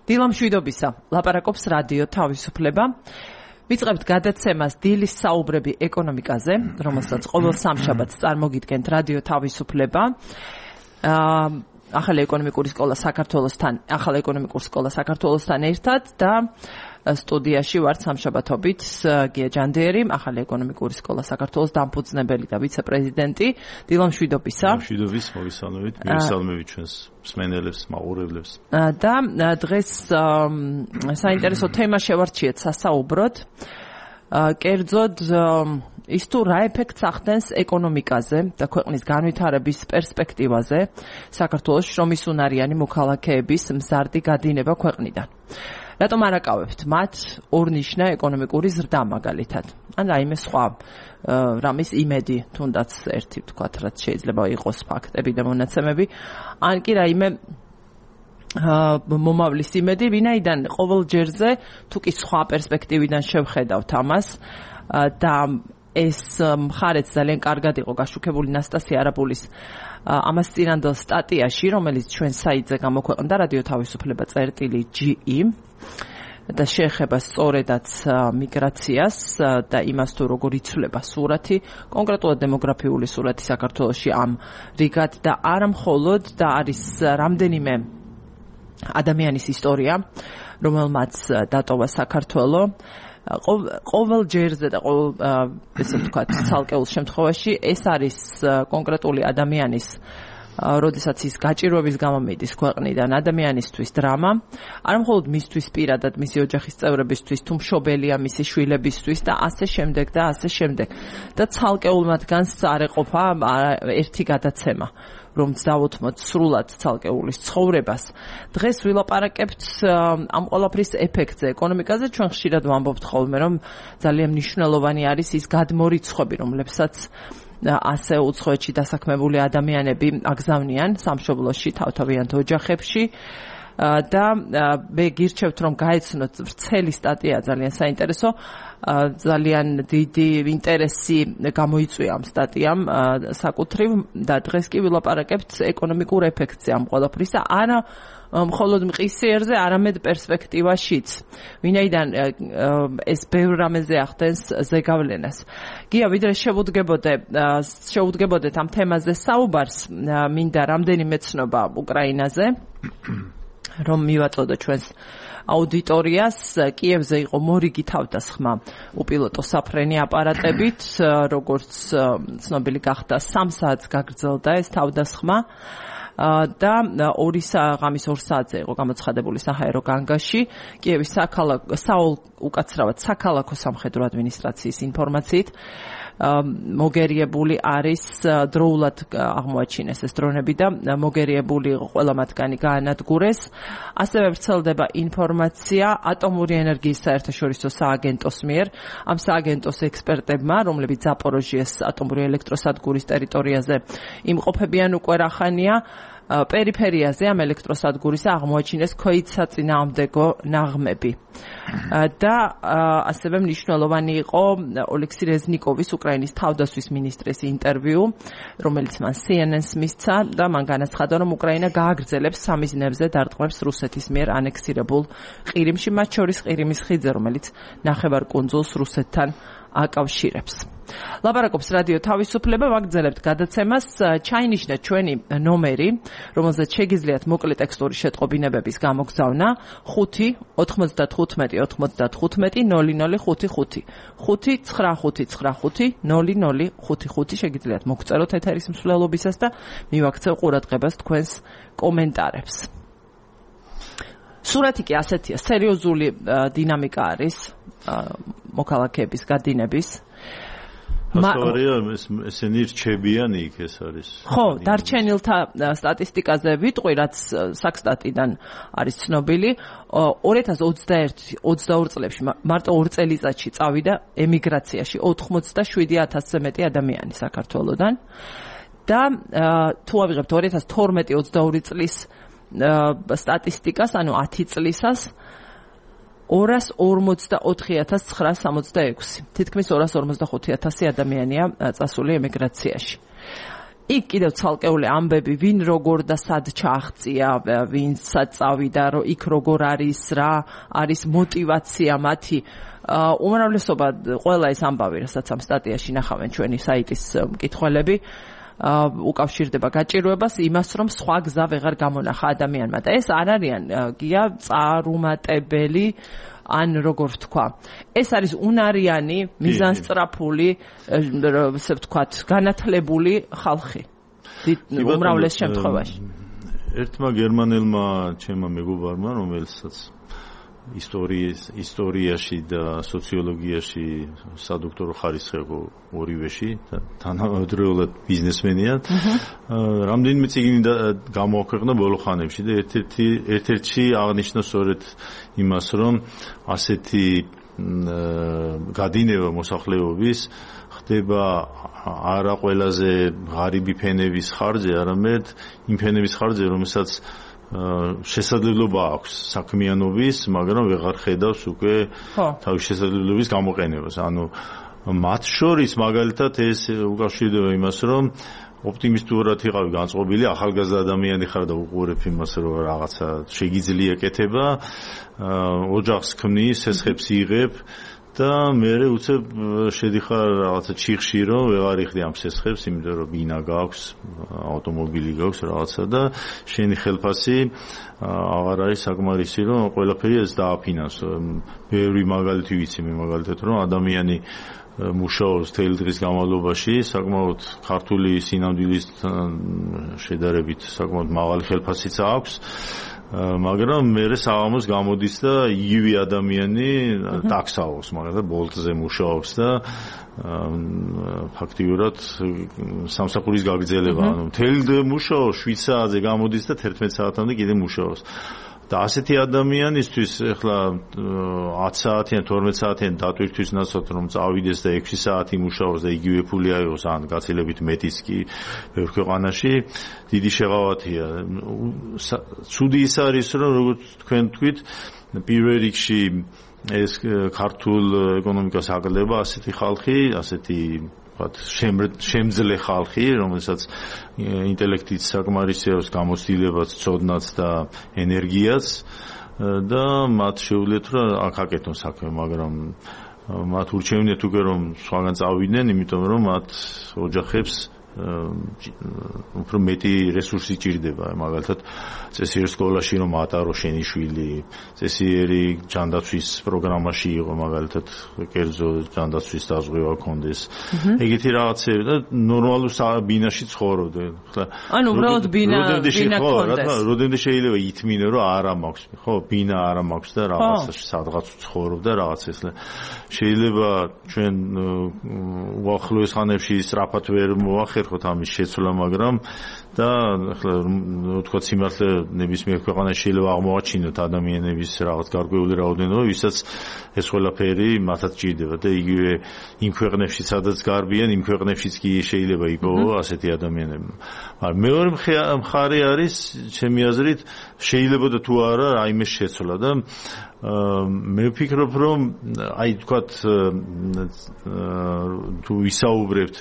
დილამშვიდობისა, ლაპარაკობს რადიო თავისუფლება. ვიწყებთ გადაცემას დილის საუბრები ეკონომიკაზე, რომელსაც ყოველ სამშაბათს წარმოგიდგენთ რადიო თავისუფლება. ახალი ეკონომიკური სკოლა საქართველოსთან ერთად და სტუდიაში ვართ სამშაბათობით გია ჯანდიერი, ახალი ეკონომიკური სკოლა საქართველოს დამფუძნებელი და ვიცე-პრეზიდენტი. დილამშვიდობისა. დილამშვიდობის, მოგესალმებით, მოგესალმებით ჩვენს მსმენელებს, მაყურებლებს. და დღეს საინტერესო თემა შევარჩიეთ სასაუბროდ. კერძოდ ის თუ რა ეფექტს ახდენს ეკონომიკაზე და ქვეყნის განვითარების პერსპექტივაზე საქართველოს შრომისუნარიანი მოქალაქეების მზარდი გადინება ქვეყნიდან. რატომ არ აკავებთ მათ ორნიშნა ეკონომიკური ზრდა მაგალითად? ან რაიმე სხვა რამის იმედი, თუნდაც ერთი ვთქვათ, რაც შეიძლება იყოს ფაქტები და მონაცემები, ან კი რაიმე მომავლის იმედი, ვინაიდან ყოველ ჯერზე თუ კი სხვა პერსპექტივიდან შევხედავთ ამას და ეს მხარეც ძალიან კარგად იყო გაშუქებული ნასტასია არაბულის ამას წინანდელ სტატიაში, რომელიც ჩვენ საიტზე გამოქვეყნდა რადიო თავისუფლება წერტილი.ge და შეეხება სწორედაც მიგრაციას და იმას თუ როგორ იცვლება სურათი, კონკრეტულად დემოგრაფიული სურათი საქართველოში ამ რიგად და არა მხოლოდ და არის რამდენიმე ადამიანის ისტორია, რომელმაც დატოვა საქართველო. ყოველ ჯერზე და ყოველ ესე ვთქვათ ცალკეულ შემთხვევაში ეს არის კონკრეტული ადამიანის როდესაც ის გაჭირვების გამო მიდის ქვეყნიდან ადამიანისთვის დრამა, არა მხოლოდ მისთვის პირადად, მისი ოჯახის წევრებისთვის, თუ მშობელია მისი შვილებისთვის და ასე შემდეგ და ასე შემდეგ. და ცალკეულ მათგანს არ ეყოფა ერთი გადაცემა, რომ დავუთმოთ სრულად ცალკეულის ცხოვრებას. დღეს ვილაპარაკებთ ამ ყველაფრის ეფექტზე ეკონომიკაზე. ჩვენ ხშირად ვამბობთ ხოლმე, რომ ძალიან მნიშვნელოვანი არის ის გადმორიცხვები, რომლებსაც ასე უცხოეთში დასაქმებული ადამიანები აგზავნიან სამშობლოში, თავთავიანთ ოჯახებში. და მე გირჩევთ, რომ გაეცნოთ ვრცელი სტატია, ძალიან საინტერესო, ძალიან დიდი ინტერესი გამოიწვია ამ სტატიამ საკუთრივ და დღეს კი ვილაპარაკებთ ეკონომიკურ ეფექტზე ამ ყველაფრისა, არა მხოლოდ მყისიერზე, არამედ პერსპექტივაშიც. ვინაიდან ეს ბევრ რამეზე ახდენს ზეგავლენას. გია, ვიდრე შევუდგებოდეთ ამ თემაზე საუბარს, მინდა რამდენიმე ცნობა უკრაინაზე, რომ მივაწოდო ჩვენს აუდიტორიას. კიევზე იყო მორიგი თავდასხმა უპილოტო საფრენი აპარატებით, როგორც ცნობილი გახდა 3 საათს გაგრძელდა ეს თავდასხმა და 2 საათზე იყო გამოცხადებული საჰაერო განგაში. კიევის უკაცრავად საქალაქო სამხედრო ადმინისტრაციის ინფორმაციით მოგერიებული არის დროულად აღმოაჩინეს ეს დრონები და მოგერიებული ყველა მათგანი გაანადგურეს. ასევე ვრცელდება ინფორმაცია ატომური ენერგიის საერთაშორისო სააგენტოს მიერ. ამ სააგენტოს ექსპერტებმა, რომლებიც ზაპოროჟიეს ატომური ელექტროსადგურის ტერიტორიაზე იმყოფებიან უკვე რახანია, პერიფერიაზე ამ ელექტროსადგურისა აღმოაჩინეს ქვედსაწინააღმდეგო ნაღმები. და ასევე მნიშვნელოვანი იყო ოლექსი რეზნიკოვის, უკრაინის თავდასხმის მინისტრის ინტერვიუ, რომელიც მან CNN-ს მისცა და მან განაცხადა, რომ უკრაინა გააგრძელებს სამიზნებზე დარტყმებს რუსეთის მიერ ანექსირებულ ყირიმში, მათ შორის ყირიმის ხიდზე, რომელიც ნახევარკუნძულს რუსეთთან აკავშირებს. ლაპარაკობს რადიო თავისუფლება, ვაგრძელებთ გადაცემას. ჩაინიშნა ჩვენი ნომერი, რომელზეც შეგიძლიათ მოკლე ტექსტური შეტყობინებების გამოგზავნა 5 95 95 0055 59595 0055 შეგიძლიათ მოგწეროთ ეთერის მსვლელობისას და მივაქცევ ყურადღებას თქვენს კომენტარებს. სურათი კი ასეთია, სერიოზული დინამიკა არის მოქალაქეების გადინების. ესენი რჩებიან იქ, ეს არის. ხო, დარჩენილთა სტატისტიკაზე ვიტყვი, რაც საქსტატიდან არის ცნობილი, 2021-22 წლებში მარტო 2 წელიწადში წავიდა ემიგრაციაში 87,000-ზე მეტი ადამიანი საქართველოდან და თუ ავიღებთ 2012-22 წლის სტატისტიკას, ანუ 10 წლისას 244,966. თითქმის 245,000 ადამიანია წასული ემიგრაციაში. იქ კიდევ ცალკეული ამბები, ვინ როგორ და სად ჩააღწია, ვინცაც წავიდა, იქ როგორ არის, რა არის мотиваცია მათი. უმრავლესობა ყველა ეს ამბავი, რასაც ამ სტატიაში ნახავენ ჩვენი საიტის მკითხველები, უკავშირდება გაჭირვებას იმას, რომ სხვა გზა ვეღარ გამონახა ადამიანმა და ეს არ არიან გია წარუმატებელი ან როგორ ვთქვა. ეს არის უნარიანი, მიზანსწრაფული, ესე ვთქვათ, განათლებული ხალხი. უმრავლეს შემთხვევაში. ერთმა გერმანელმა ჩემმა მეგობარმა, რომელსაც ისტორიაში და სოციოლოგიაში სადოქტორო ხარისხი აქვს ორივეში და თანამედროვე ბიზნესმენია. რამდენიმე წიგნი გამოაქვეყნა ბოლო ხანებში და ერთ-ერთში აღნიშნა სწორედ იმას, რომ ასეთი გადინება მოსახლეობის ხდება არა ყველაზე ღარიბი ფენების ხარჯზე, არამედ იმ ფენების ხარჯზე, რომელსაც შესაძლებლობა აქვს საქმიანობის, მაგრამ ვეღარ ხედავს უკვე თავის შესაძლებლობის გამოყენებას. ანუ მათ შორის მაგალითად ეს უკავშირდება იმას, რომ ოპტიმისტურად იყავი განწყობილი, ახალგაზრდა ადამიანი ხარ და უყურებ იმას, რომ რაღაცა შეგიძლია კეთება, ოჯახს ქმნის, სესხებს იღებ და მე უცებ შედიხარ რაღაცა ჩიხში, რომ ვეღარ იხდი ამ სესხებს, იმიტომ რომ ბინა გაქვს, ავტომობილი გაქვს რაღაცა და შენი ხელფასი აღარ არის საკმარისი, რომ ყველაფერი ეს დააფინანსო. ბევრი მაგალითი ვიცი მე მაგალითად, რომ ადამიანი მუშაობს თელი დღის განმავლობაში, საკმაოდ ქართული სინამდვილის შედარებით საკმაოდ მაღალი ხელფასიც აქვს. მაგრამ მერე საღამოს გამოდის და იგივე ადამიანი ტაქსაობს, მაგალითად ბოლტზე მუშაობს და ფაქტიურად სამსახურის გაგრძელება, ანუ მთელი დღე მუშაობს, 7 საათზე გამოდის და 11 საათამდე კიდე მუშაობს. და ასეთი ადამიანისთვის ახლა 10 საათიან, 12 საათიან დატვირთვის ნაცვლად რომ წავიდეს და 6 საათი მუშაობს და იგივე ფული აიღოს, ან გაცილებით მეტიც კი ბევრ ქვეყანაში, დიდი შეღავათია. ცუდი ის არის, რომ როგორც თქვენ თქვით, პირველ რიგში ეს ქართულ ეკონომიკას აკლდება ასეთი ხალხი, ასეთი შემძლე ხალხი, რომელსაც ინტელექტიც საკმარისი აქვს, გამოცდილებაც, ცოდნაც და ენერგიაც და მათ შეუძლიათ რომ აკეთონ საქმე, მაგრამ მათ ურჩევნიათ უკვე რომ სხვაგან წავიდნენ, იმიტომ რომ მათ ოჯახებს უფრო მეტი რესურსი ჭირდება, მაგალითად წესიერ სკოლაში რომ ატარო შენი შვილი, წესიერი ჯანდაცვის პროგრამაში იყო, მაგალითად კერძო ჯანდაცვის დაზღვევა ქონდეს. ეგეთი რაღაცები და ნორმალურ ბინაში ცხოვრობდე. ანუ უბრალოდ ბინა ქონდეს. როდემდე შეიძლება ითმინო რომ არა მაქვს, ხო, ბინა არა მაქვს და რაღაცა სადღაც ცხოვრობ და რაღაც ეს. შეიძლება ჩვენ უახლოეს ხანებში სწრაფად ვერ მოახერხოთ ამის შეცვლა, მაგრამ და ახლა თქვა სიმართლე ნებისმიერ ქვეყანაში შეიძლება აღმოაჩინოთ ადამიანების რაღაც გარკვეული რაოდენობა, ვისაც ეს ყველაფერი მათაც ჭირდება და იგივე იმ ქვეყნებში, სადაც გარბიან, იმ ქვეყნებშიც კი შეიძლება იპოვო ასეთი ადამიანები. მაგრამ მეორე მხარე არის, ჩემი აზრით, შეიძლება და თუ არა რაიმე შეცვლა და მე ვფიქრობ, რომ აი თქვათ თუ ვისაუბრებთ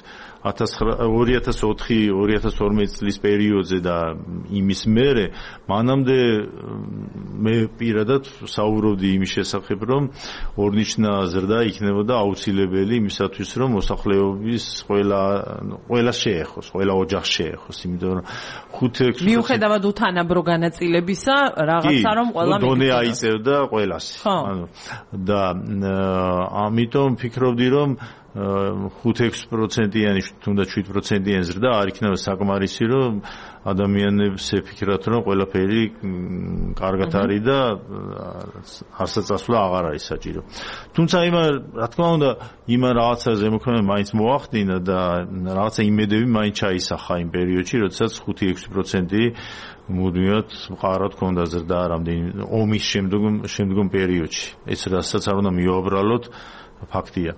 2004-2012 წლის პერიოდზე და იმის მერე, მანამდე მე პირადად საუბრობდი იმის შესახებ, რომ ორნიშნა ზრდა იქნებოდა აუცილებელი იმისათვის, რომ მოსახლეობის ყველა შეეხოს, ყველა ოჯახს შეეხოს, იმიტომ რომ 5-6 მიუხედავად უთანაბრო განაწილებისა, რაღაცა რომ ყველა დონე აიწევდა ყველას. ანუ და ამიტომ ფიქრობდი, რომ 5-6%-იანი, თუნდაც 7%-იანი ზრდა არ იქნება საკმარისი, რომ ადამიანებს ეფიქრათ, რომ ყველაფერი კარგად არის და არსაწასვლა აღარ არის საჭირო. თუმცა რა თქმა უნდა, იმან რაღაცა ზემოქმედება მაინც მოახდინა და რაღაცა იმედები მაინც ჩაისახა იმ პერიოდში, როდესაც 5-6% მუდმივად მყარად ქონდა ზრდა რამდენი ომის შემდგომ პერიოდში. ეს რასაც არ უნდა მივაბრალოთ, ფაქტია.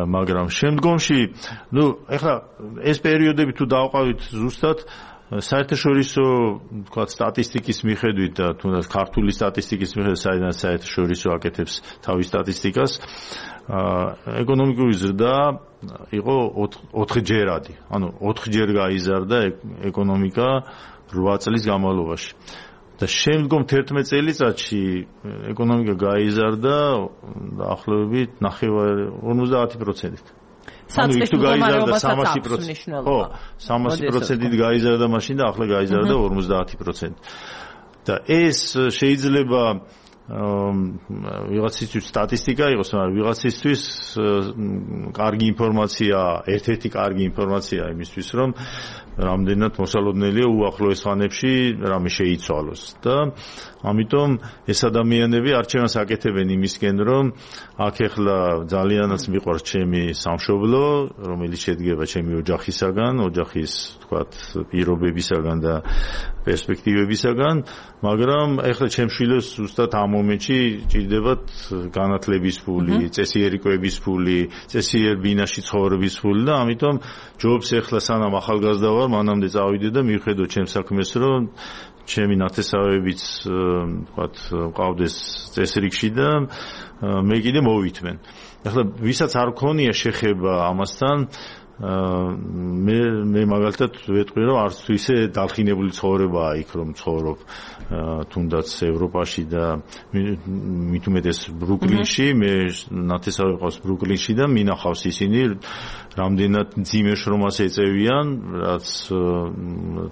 მაგრამ შემდგომში, ეხლა ეს პერიოდები თუ დავყავით ზუსტად საერთაშორისო, თქვათ, სტატისტიკის მიხედვით და თუნდაც ქართული სტატისტიკის მიხედვით, საიდან საერთაშორისო აკეთებს თავის სტატისტიკას, ეკონომიკური ზრდა იყო 4 ჯერადი. ანუ 4 ჯერ გაიზარდა ეკონომიკა 8 წლის განმავლობაში. და შემდგომ 11 წელიწადში ეკონომიკა გაიზარდა დაახლოებით 50%-ით. საწყის მდგომარეობასაც აქვს მნიშვნელობა. 300%-ით გაიზარდა მაშინ და ახლა გაიზარდა 50%. და ეს შეიძლება ვიღაცისთვის სტატისტიკა იყოს, მაგრამ ვიღაცისთვის კარგი ინფორმაცია, ერთ-ერთი კარგი ინფორმაცია იმისთვის, რომ რამდენად მოსალოდნელია უახლოეს ხანებში რამე შეიცვალოს და ამიტომ ეს ადამიანები არჩევანს აკეთებენ იმისკენ, რომ აქ ეხლა ძალიანაც მიყვარს ჩემი სამშობლო, რომელიც შედგება ჩემი ოჯახისაგან, ოჯახის თქვათ პირობებისაგან და პერსპექტივებისაგან, მაგრამ ეხლა ჩემ შვილებს ზუსტად ამ მომენტში ჭირდებათ განათლების ფული, წესიერკვების ფული, წესიერ ბინაში ცხოვრების ფული და ამიტომ ჯობს ეხლა სანამ ახალგაზრდა ვარ, მანამდე წავიდე და მივხედო ჩემს საქმეს, რომ ჩემი ნათესავებიც ვთქვათ მყავდეს წესრიგში და მე კიდე მოვითმენ. ახლა ვისაც არ ქონია შეხება ამასთან მე მაგალითად ვეტყვი რომ არც თუ ისე დალხინებული ცხოვრებაა იქ რომ ცხოვრობ თუნდაც ევროპაში და მით უმეტეს ბრუკლინში მე ნათესავები ყავს ბრუკლინში და მინახავს ისინი რამდენად მძიმე შრომას ეწევიან რაც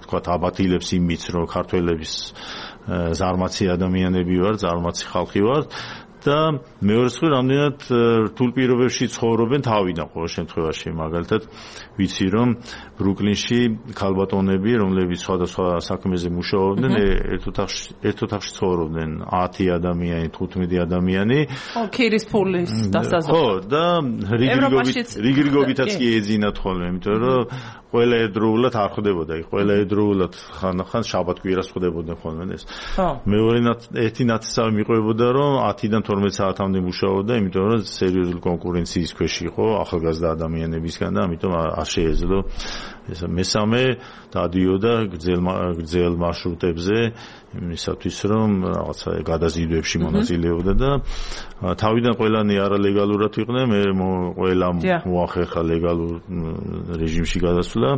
თქვათ აბათილებს იმით რომ ქართველების ზარმაცი ადამიანები ვარ ზარმაცი ხალხი ვარ და მეორე მხრივ რამდენად რთულ პირობებში ცხოვრობენ თავიდან ყოველ შემთხვევაში მაგალითად ვიცი რომ ბრუკლინში ქალბატონები რომლებიც სხვადასხვა საქმეზე მუშაობდნენ ერთ ოთახში ცხოვრობდნენ 10 ადამიანი 15 ადამიანი ქირის ფულის დასაზღვრავად ხო და რიგრიგობითაც კი ეძინათ ხოლმე იმიტომ რომ ყველა ერთდროულად არ ხდებოდა იქ ყველა ერთდროულად ხან შაბათ-კვირას ხდებოდნენ ხოლმე ეს მეორე ერთი ნათესავი მიყვებოდა რომ 10-დან 12 საათამდე მუშაობდა იმიტომ რომ სერიოზული კონკურენციის ქვეშ იყო ახალგაზრდა ადამიანებისგან და ამიტომ არ შეეძლო ეს მესამე დადიოდა გრძელ მარშრუტებზე იმისათვის რომ რაღაცა გადაზიდვებში მონაწილეობდა და თავიდან ყველანი არალეგალურად იყვნენ მე ყველა მოახერხა ლეგალურ რეჟიმში გადასვლა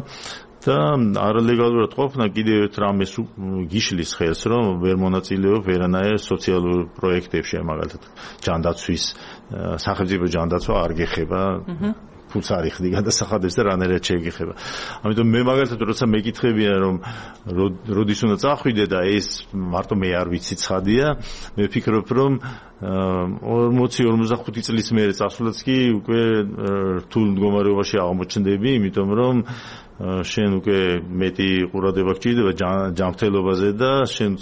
და არალეგალურად ყოფნა კიდევ ერთ რამეს გიშლის ხელს რომ ვერ მონაწილეობ ვერანაირ სოციალურ პროექტებში მაგალითად ჯანდაცვის სახელმწიფო ჯანდაცვა არ გეხება ფულს არ იხდი გადასახადებს და რანაირად შეეგეხება. ამიტომ მე მაგალითად როცა მეკითხებიან რომ როდის უნდა წახვიდე და ეს მარტო მე არ ვიცი ცხადია, მე ვფიქრობ რომ 40-45 წლის მერე წასვლაც კი უკვე რთულ მდგომარეობაში აღმოჩნდები, იმიტომ რომ შენ უკვე მეტი ყურადღება გჭირდება ჯანმრთელობაზე და შენ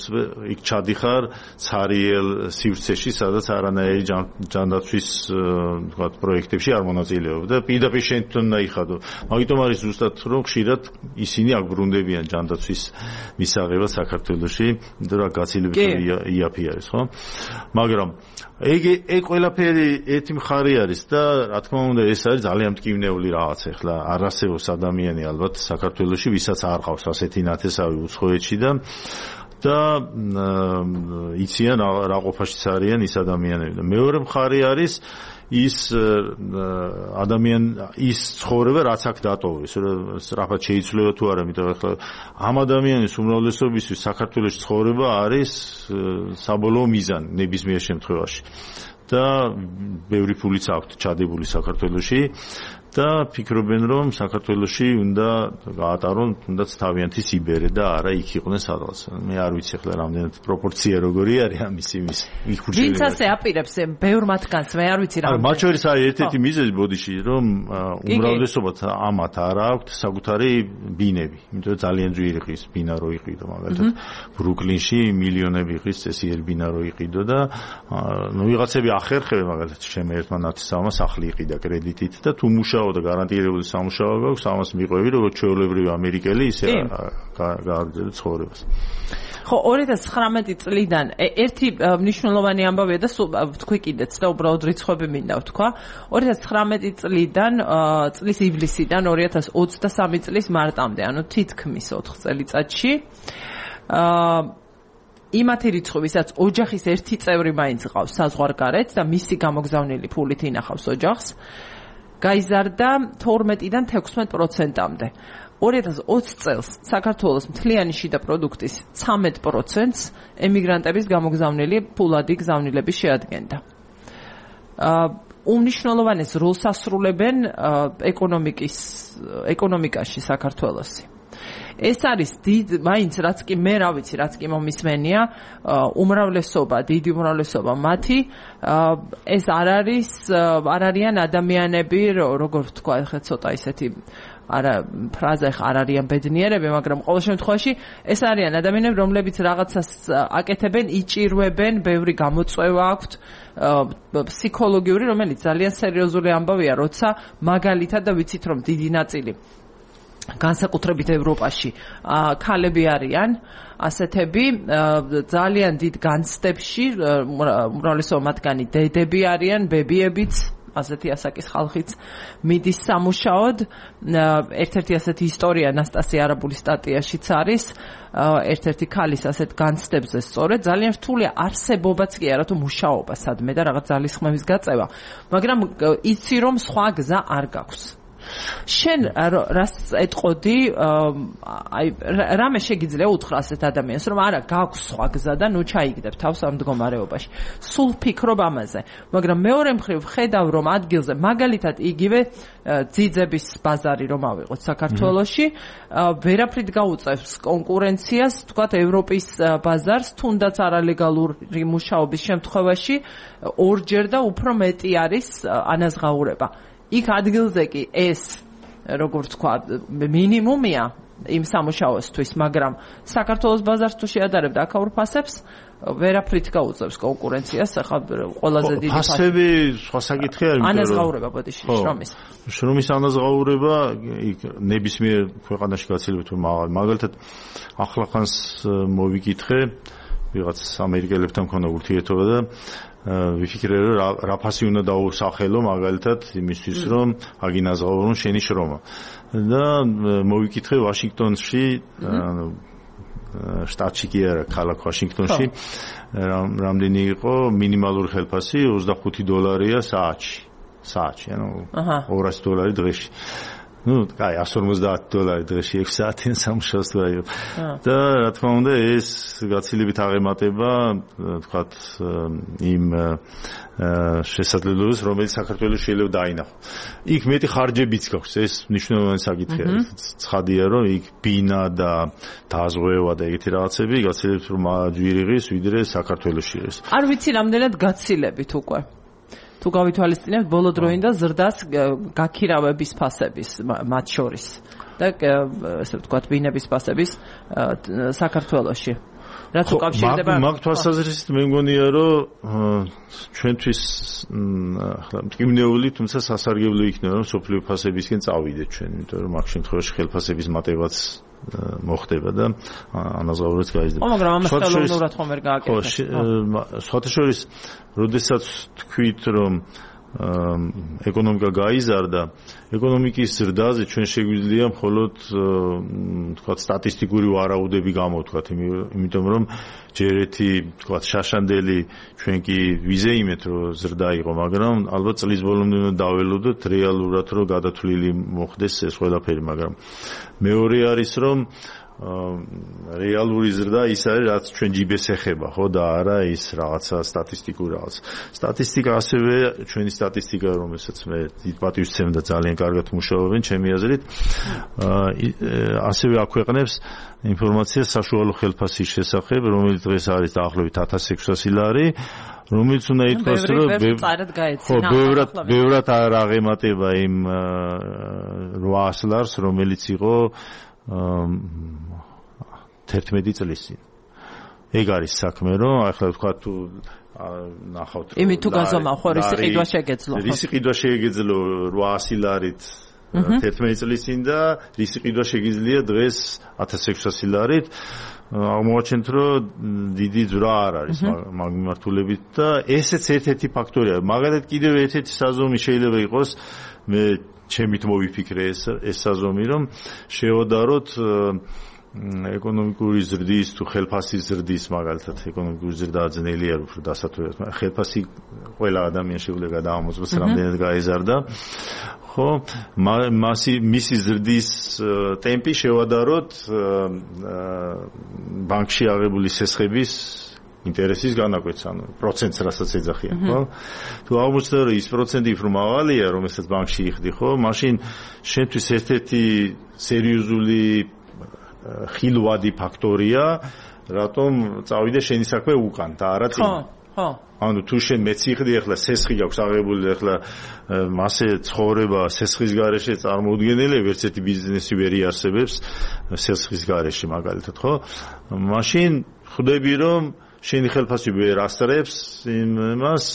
იქ ჩადიხარ ცარიელ სივრცეში, სადაც არანაირი ჯანდაცვის თქვათ პროექტებში არ მონაწილეობ და პირდაპირ შენ თვითონ უნდა იხადო. მაგიტომ არის ზუსტად რომ ხშირად ისინი აქ ბრუნდებიან ჯანდაცვის მისაღებად საქართველოში, იმიტომ რომ გაცილებით იაფი არის, ხო? მაგრამ ეგ ყველაფერი ერთი მხარე არის და რა თქმა უნდა ეს არის ძალიან მტკივნეული რაღაც ახლა არ არსებობს ადამიანი ალბათ საქართველოში ვისაც არ ყავს ასეთი ნათესავი უცხოეთში და იციან რა ყოფაშიც არიან ის ადამიანები და მეორე მხარე არის ის ის ცხოვრება რაც აქ დატოვეს სწრაფად შეიცვლება თუ არა იმიტომ ახლა ამ ადამიანის უმრავლესობისთვის საქართველოს ცხოვრება არის საბოლოო მიზანი ნებისმიერ შემთხვევაში და ბევრი ფულიც აქვთ ჩადებული საქართველოში და ფიქრობენ რომ საქართველოში უნდა გაატარონ თუნდაც თავიანთი სიბერე და არა იქ იყვნენ სადღაც მე არ ვიცი ახლა რამდენად პროპორცია როგორი არის ამის იმის იქ ხურშევი ვინც ასე აპირებს ბევრ მათგანს მე არ ვიცი რა არა მათ შორის არის ერთ-ერთი მიზეზი ბოდიში რომ უმრავლესობათ ამათ არ აქვთ საკუთარი ბინები იმიტომ რომ ძალიან ძვირი ხის ბინა რო იყიდო მაგალითად ბრუკლინში მილიონები ხის წესიერ ბინა რო იყიდო და ნუ ვიღაცები ახერხებენ მაგალითად შემე ერთმა ნათესავმა სახლი იყიდა კრედიტით და თუ მუშაობ და გარანტირებული სამუშაო გაქვს, ამას მიყვები როგორც ჩვეულებრივი ამერიკელი, ისე გააგრძელებს ცხოვრებას. ხო, 2019 წლიდან ერთი მნიშვნელოვანი ამბავია და თქვი კიდეც და უბრალოდ რიცხვები მინდა ვთქვა. 2019 წლიდან წლის ივლისიდან 2023 წლის მარტამდე, ანუ თითქმის 4 წელიწადში იმათი რიცხვი, ვისაც ოჯახის ერთი წევრი მაინც ყავს საზღვარგარეთ და მისი გამოგზავნილი ფულით ინახავს ოჯახს გაიზარდა 12-დან 16%-მდე. 2020 წელს საქართველოს მთლიანი შიდა პროდუქტის 13%-ს ემიგრანტების გამოგზავნილი ფულადი გზავნილები შეადგენდა. უმნიშვნელოვანეს როლს ასრულებენ ეკონომიკაში საქართველოსი. ეს არის მაინც რაც კი მე რა ვიცი, რაც კი მომისმენია, უმრავლესობა, დიდი უმრავლესობა მათი ეს არ არიან ადამიანები, როგორ ვთქვა, ხა ცოტა ისეთი ფრაზა ხა არ არიან ბედნიერები, მაგრამ ყოველ შემთხვევაში ეს არიან ადამიანები, რომლებიც რაღაცას აკეთებენ, იჭირვებენ, ბევრი გამოწვევა აქვთ, ფსიქოლოგიური, რომელიც ძალიან სერიოზული ამბავია, როცა მაგალითად და ვიცით რომ დიდი ნაწილი განსაკუთრებით ევროპაში ქალები არიან ასეთები ძალიან დიდ განცდებში უმრავლესობა მათგანი დედები არიან ბებიებიც ასეთი ასაკის ხალხიც მიდის სამუშაოდ ერთ-ერთი ასეთი ისტორია ნასტასია არაბულის სტატიაშიც არის ერთ-ერთი ქალის ასეთ განცდებზე სწორედ ძალიან რთულია არსებობაც კი არა თუ მუშაობა სადმე და რაღაც ძალისხმევის გაწევა მაგრამ იცი რომ სხვა გზა არ გაქვს შენ რას ეტყოდი აი რამე შეგიძლია უთხრა ასეთ ადამიანს რომ არა გაქვს სხვა გზა და ნუ ჩაიგდებ თავს ამ მდგომარეობაში სულ ფიქრობ ამაზე მაგრამ მეორე მხრივ ხედავ რომ ადგილზე მაგალითად იგივე ძიძების ბაზარი რომ ავიღოთ საქართველოში ვერაფრით გაუწევს კონკურენციას თქვათ ევროპის ბაზარს თუნდაც არალეგალური მუშაობის შემთხვევაში ორჯერ და უფრო მეტი არის ანაზღაურება იქ ადგილზე კი ეს როგორც თქვა მინიმუმია იმ სამუშაოსთვის, მაგრამ საქართველოს ბაზარს თუ შეადარებ და აქაურ ფასებს ვერაფრით გაუწევს კონკურენციას, ახლა ყველაზე დიდი ფასები სხვა საკითხი არის, ანაზღაურება ბოდიში შრომის. შრომის ანაზღაურება იქ ნებისმიერ ქვეყანაში გაცილებით მაღალი. მაგალითად ახლახანს მოვიკითხე ვიღაც ამერიკელებთან მქონდა ურთიერთობა და ვიფიქრე რომ რა ფასი უნდა დაუსახელო მაგალითად იმისთვის რომ აგინაზღაურონ შენი შრომა და მოვიკითხე ვაშინგტონში შტატში კი არა ქალაქ ვაშინგტონში რამდენი იყო მინიმალური ხელფასი $25 საათში ანუ $200 დღეში ну, кай, $150 დღეში 6 საათიან სამუშაოს თუ აიღო. და რა თქმა უნდა, ეს გაცილებით აღემატება, თქვათ, იმ შესაძლებლობას, რომელიც საქართველოს შეიძლება დაინახო. იქ მეტი ხარჯებიც გაქვს, ეს მნიშვნელოვანი საკითხია. ცხადია, რომ იქ ბინა და დაზღვევა და ეგეთი რაღაცები გაცილებით რომ ჯვირი ღირს, ვიდრე საქართველოში ღირს. არ ვიცი რამდენად გაცილებით უკვე. თუ გავითვალისწინებთ ბოლო დროინდა ზრდას გაქირავების ფასების მათ შორის და ესე ვთქვათ ბინების ფასების საქართველოში რაც უკავშირდება მაგ თვალსაზრისით მე მგონია რომ ჩვენთვის ახლა მტკივნეული თუმცა სასარგებლო იქნება რომ სოფლიო ფასებისკენ წავიდეთ ჩვენ იმიტომ რომ მაგ შემთხვევაში ხელფასების მატებაც მოხდება და ანაზღაურებაც გაიზრდება. მაგრამ ამას ხელოვნურად ხომ ვერ გააკეთებს. სხვათა შორის, როდესაც თქვით, რომ ეკონომიკა გაიზარდა, ეკონომიკის ზრდაზე ჩვენ შეგვიძლია მხოლოდ თქვათ სტატისტიკური ვარაუდები გამოვთქვათ, იმიტომ რომ ჯერ ერთი თქვათ შაშანდელი ჩვენ კი ვიზეიმეთ რომ ზრდა იყო, მაგრამ ალბათ წლის ბოლომდე უნდა დაველოდოთ რეალურად რომ გადათვლილი მოხდეს ეს ყველაფერი, მაგრამ მეორე არის რომ რეალური ზრდა ის არის რაც ჩვენ ჯიბეს ეხება ხო და არა ის რაღაცა სტატისტიკური რაღაც. სტატისტიკა ასევე ჩვენი სტატისტიკა რომელსაც მე დიდ პატივს ვცემ და ძალიან კარგად მუშაობენ ჩემი აზრით ასევე აქვეყნებს ინფორმაციას საშუალო ხელფასის შესახებ რომელიც დღეს არის დაახლოებით 1600 ლარი რომელიც უნდა ითქვას რომ ბევრად არ აღემატება იმ 800 ლარს რომელიც იყო 11 წლის წინ. ეგ არის საქმე, რომ ახლა თქვა თუ ნახავთ რომ იმით თუ გაზომა ხო რისი ყიდვა შეგეძლო. რისი ყიდვა შეგეძლო 800 ლარით 11 წლის წინ და რისი ყიდვა შეგიძლია დღეს 1600 ლარით. აღმოაჩენთ რომ დიდი ძვრა არ არის მაგ მიმართულებით და ესეც ერთ-ერთი ფაქტორია. მაგალითად კიდევ ერთ-ერთი საზომი შეიძლება იყოს მე ჩემით მოვიფიქრე ეს საზომი რომ შევადაროთ ეკონომიკური ზრდის თუ ხელფასის ზრდის მაგალითად ეკონომიკური ზრდა ძნელი არ უფრო დასათვალიერებლად ხელფასი ყველა ადამიანს შეუძლია გადაამოწმოს რამდენად გაიზარდა ხო? მისი ზრდის ტემპი შევადაროთ ბანკში აღებული სესხების ინტერესის განაკვეთს, ანუ პროცენტს რასაც ეძახიან, ხო? თუ აღმოჩნდა რომ ის პროცენტი უფრო მაღალია, რომელსაც ბანკში იხდი, ხო? მაშინ შენთვის ერთ-ერთი სერიოზული ხილვადი ფაქტორია, რატომ წავიდე შენი საქმე უკან და არა წინ. ხო. ანუ თუ შენ მეციხდი ახლა სესხი გაქვს აღებული ახლა მასე ცხოვრება სესხის გარეშე წარმოუდგენელია, ვერც ერთი ბიზნესი ვერ იარსებებს სესხის გარეშე მაგალითად, ხო? მაშინ ხვდები რომ შენი ხელფასი ვერ ასწრებს იმას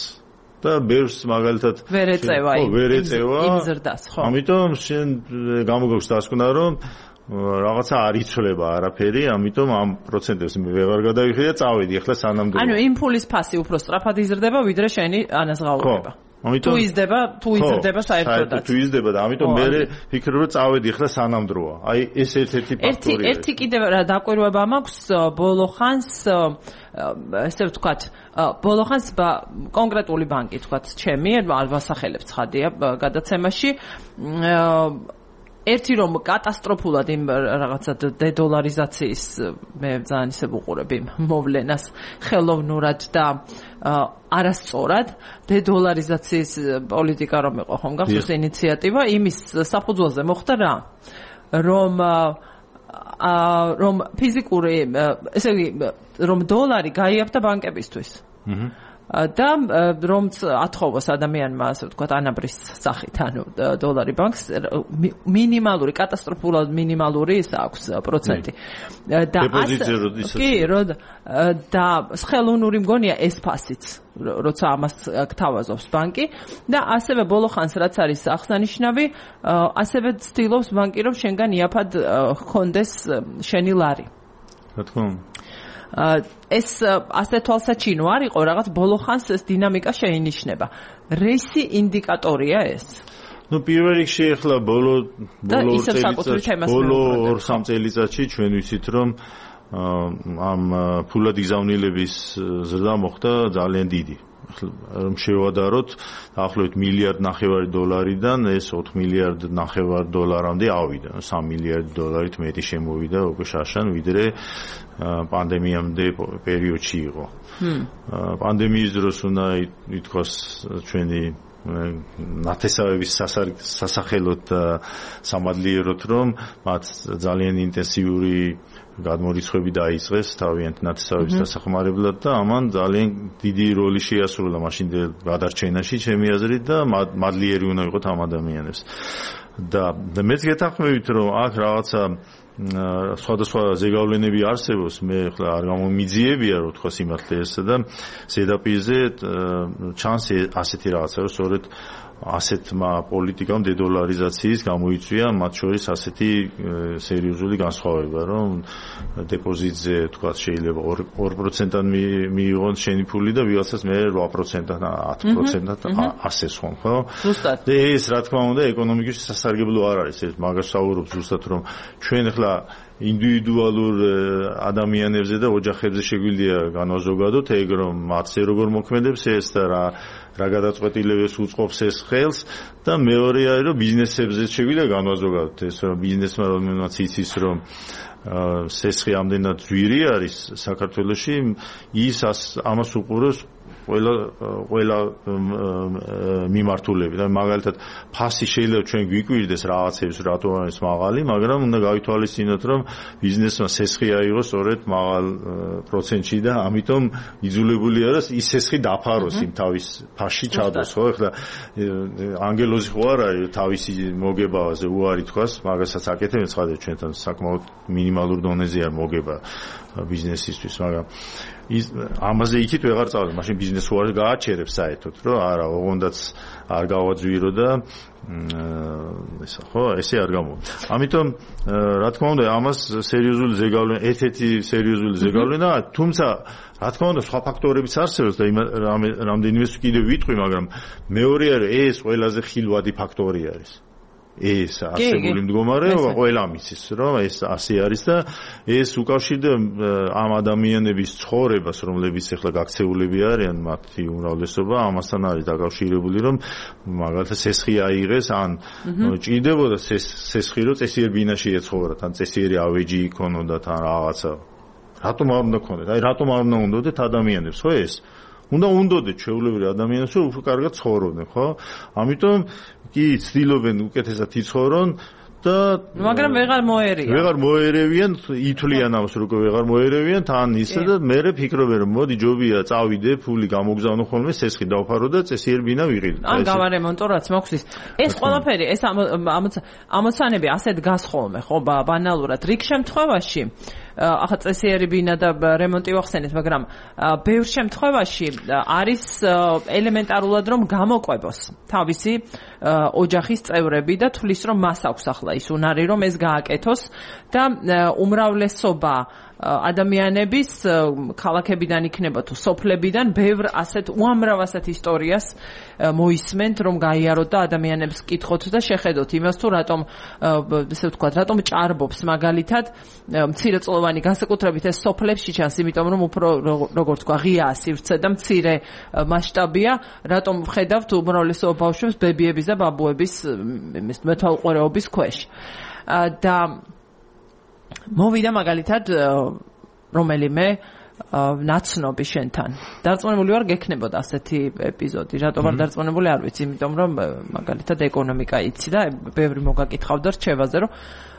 და ბევრს მაგალითად ვერ ეწევა იმ ზრდას, ხო? ამიტომ შენ გამოგაქვს დასკვნა რომ რაღაცა არ იცვლება არაფერი, ამიტომ ამ პროცენტებს მე ვეღარ გადავიხდი და წავედი ახლა სანამდე. ანუ იმ ფულის ფასი უფრო სწრაფად იზრდება, ვიდრე შენი ანაზღაურება. ამიტომ თუ იზრდება საერთოდაც. თუ იზრდება და ამიტომ მე ვფიქრობ რომ წავედი ახლა სანამდროა. აი ეს ერთ-ერთი ფაქტორია. ერთი კიდევ რა დაკვირვება მაქვს ბოლო ხანს ესე ვთქვათ, ბოლო ხანს კონკრეტული ბანკი ვთქვათ, ჩემი ვასახელებ ცხადია გადაცემაში ერთი რომ კატასტროფულად იმ რაღაცა დედოლარიზაციის მე ძალიან ისე ვუყურებ იმ მოვლენას ხელოვნურად და არასწორად დედოლარიზაციის პოლიტიკა რომ იყო ხომ გახსოვს ინიციატივა იმის საფუძველზე მოხდა რა რომ ფიზიკური ესე იგი რომ დოლარი გაიაფთა ბანკებისთვის და რომც ათხოვოს ადამიანმა ასე ვთქვათ ანაბრის სახით ანუ დოლარი ბანკს მინიმალური კატასტროფულად მინიმალური ის აქვს პროცენტი და და ხელოვნური მგონია ეს ფასიც როცა ამას გთავაზობს ბანკი და ასევე ბოლო ხანს რაც არის აღსანიშნავი ასევე ცდილობს ბანკი რომ შენგან იაფად ჰქონდეს შენი ლარი რა თქმა უნდა ეს ასე თვალსაჩინო არ იყო რაღაც ბოლო ხანს ეს დინამიკა შეინიშნება. რისი ინდიკატორია ეს? ნუ პირველ რიგში ახლა ბოლო 2-3 წელიწადში ჩვენ ვიცით რომ ამ ფულად გზავნილების ზრდა მოხდა ძალიან დიდი. რომ შევადაროთ დაახლოებით $1.5 დოლარიდან ეს 4 მილიარდ ნახევარ დოლარამდე ავიდა. 3 მილიარდ დოლარით მეტი შემოვიდა უკვე შაშან ვიდრე პანდემიამდე პერიოდში იყო. პანდემიის დროს უნდა ითქვას ჩვენი ნათესავების სასახელოდ სამადლიეროთ რომ მათ ძალიან ინტენსიური გადმორიცხვები დაიწყეს თავიანთ ნათესავების დასახმარებლად და ამან ძალიან დიდი როლი შეასრულა მაშინდელ გადარჩენაში ჩემი აზრით და მადლიერი უნდა იყოთ ამ ადამიანებს. და მეც გეთანხმებით რომ აქ რაღაცა სხვადასხვა ზეგავლენები არსებობს, მე ახლა არ გამომიძიებია რომ თქვა სიმართლე ესა და ზედაპირზე ჩანს ასეთი რაღაცა რომ სწორედ ასეთმა პოლიტიკამ დედოლარიზაციის გამოიწვია მათ შორის ასეთი სერიოზული განსხვავება რომ დეპოზიტზე თქვა შეიძლება 2%-ად მიიღონ შენი ფული და ვიღაცას მე 8%-ად 10%-ად ასეს ხომ ხო? ზუსტად. ეს რა თქმა უნდა ეკონომიკაში სასარგებლო არ არის ეს მაგას საუბრობ ზუსტად რომ ჩვენ ახლა ინდივიდუალურ ადამიანებზე და ოჯახებზე შეგვიძლია განვაზოგადოთ ეგ რომ მათზე როგორ მოქმედებს ეს და რა გადაწყვეტილებებს უწყობს ეს ხელს და მეორე არის რომ ბიზნესებზე შეგვიძლია განვაზოგადოთ ეს რომ ბიზნესმა რომელმაც იცის რომ სესხი ამდენად ძვირი არის საქართველოში ის ამას უყურებს ყველა მიმართულები და მაგალითად ფასი შეიძლება ჩვენ გვიკვირდეს რაღაცებს რატო არის მაღალი, მაგრამ უნდა გავითვალისწინოთ რომ ბიზნესმა სესხი აიღოს სწორედ მაღალ პროცენტში და ამიტომ იძულებულია რომ ის სესხი დაფაროს იმ თავის ფასში ჩადოს, ხო? ეხლა ანგელოზი ხო არ არის თავისი მოგებაზე უარი თქვას, მაგასაც აკეთებენ ცხადია ჩვენთან საკმაოდ მინიმალურ დონეზე არ მოგება ბიზნესისთვის, მაგრამ ამაზე იქით ვეღარ წავედი, მაშინ ბიზნეს უარ გააჩერებს საერთოდ, რომ არა, ოღონდაც არ გავაძვირო და ესა ხო, ესე არ გამოვა. ამიტომ რა თქმა უნდა, ამას სერიოზული ზეგავლენა, ერთ-ერთი სერიოზული ზეგავლენა, თუმცა რა თქმა უნდა, სხვა ფაქტორებიც არსებობს და რამდენიმეს კიდევ ვიტყვი, მაგრამ მეორე არის ეს ყველაზე ხილვადი ფაქტორი არის. ეს არსებული მდგომარეობა ყველა მისის რომ ეს ასე არის და ეს უკავშირდება ამ ადამიანების ცხოვრებას რომლებიც ახლა გაქცეულები არიან მათი უმრავლესობა ამასთან არის დაკავშირებული რომ მაგალითად სესხი აიღეს ან ჭირდებოდა სესხი რომ წესიერ ბინაში ეცხოვრათ ან წესიერი ავეჯი იქონოდათ ან რაღაცა რატომ არ უნდა ქონდეთ აი რატომ არ უნდა უნდოდეთ ადამიანებს ხო ეს უნდა უნდოდეთ ჩვეულებრივ ადამიანებს რომ უფრო კარგად ცხოვრობდნენ ხო ამიტომ კი ცდილობენ უკეთესად იცხოვრონ და მაგრამ ვეღარ მოერევიან ითვლიან ამას რომ ვეღარ მოერევიან თან ისე და მე ფიქრობენ რომ მოდი ჯობია წავიდე ფული გამოგზავნო ხოლმე სესხი დავფარო და წესიერ ბინა ვიყიდო ან გავარემონტო რაც მაქვს ეს ყველაფერი ეს ამოცანები ასეთ დგას ხოლმე ხო ბანალურად რიგ შემთხვევაში ახლა წესიერი ბინა და რემონტი ვახსენეთ მაგრამ ბევრ შემთხვევაში არის ელემენტარულად რომ გამოყვებოს თავისი ოჯახის წევრები და თulis რომ მას აქვს ახლა ის უნარი რომ ეს გააკეთოს და უმრავლესობა ადამიანების ქალაქებიდან იქნება თუ სოფლებიდან ბევრ ასეთ უამრავ ასეთ ისტორიას მოისმენთ რომ გაიაროთ და ადამიანებს კითხოთ და შეხედოთ იმას თუ რატომ ესე ვთქვათ რატომ ჭარბობს მაგალითად მცირეწლოვანი განსაკუთრებით ეს სოფლებში ჩანს იმიტომ რომ უფრო როგორც თქვა ღიაა სივრცე და მცირე მასშტაბია რატომ ვხედავთ უმრავლესობა ბავშვებს ბებიების და ბაბუების მეთვალყურეობის ქვეშ და მოვიდა მაგალითად რომელიმე ნაცნობი შენთან. დარწმუნებული ვარ გექნებოდა ასეთი ეპიზოდი. რატომ არ დარწმუნებული არ ვიცი, იმიტომ რომ მაგალითად ეკონომიკა იცი და ბევრი მოგაკითხავდა რჩევაზე, რომ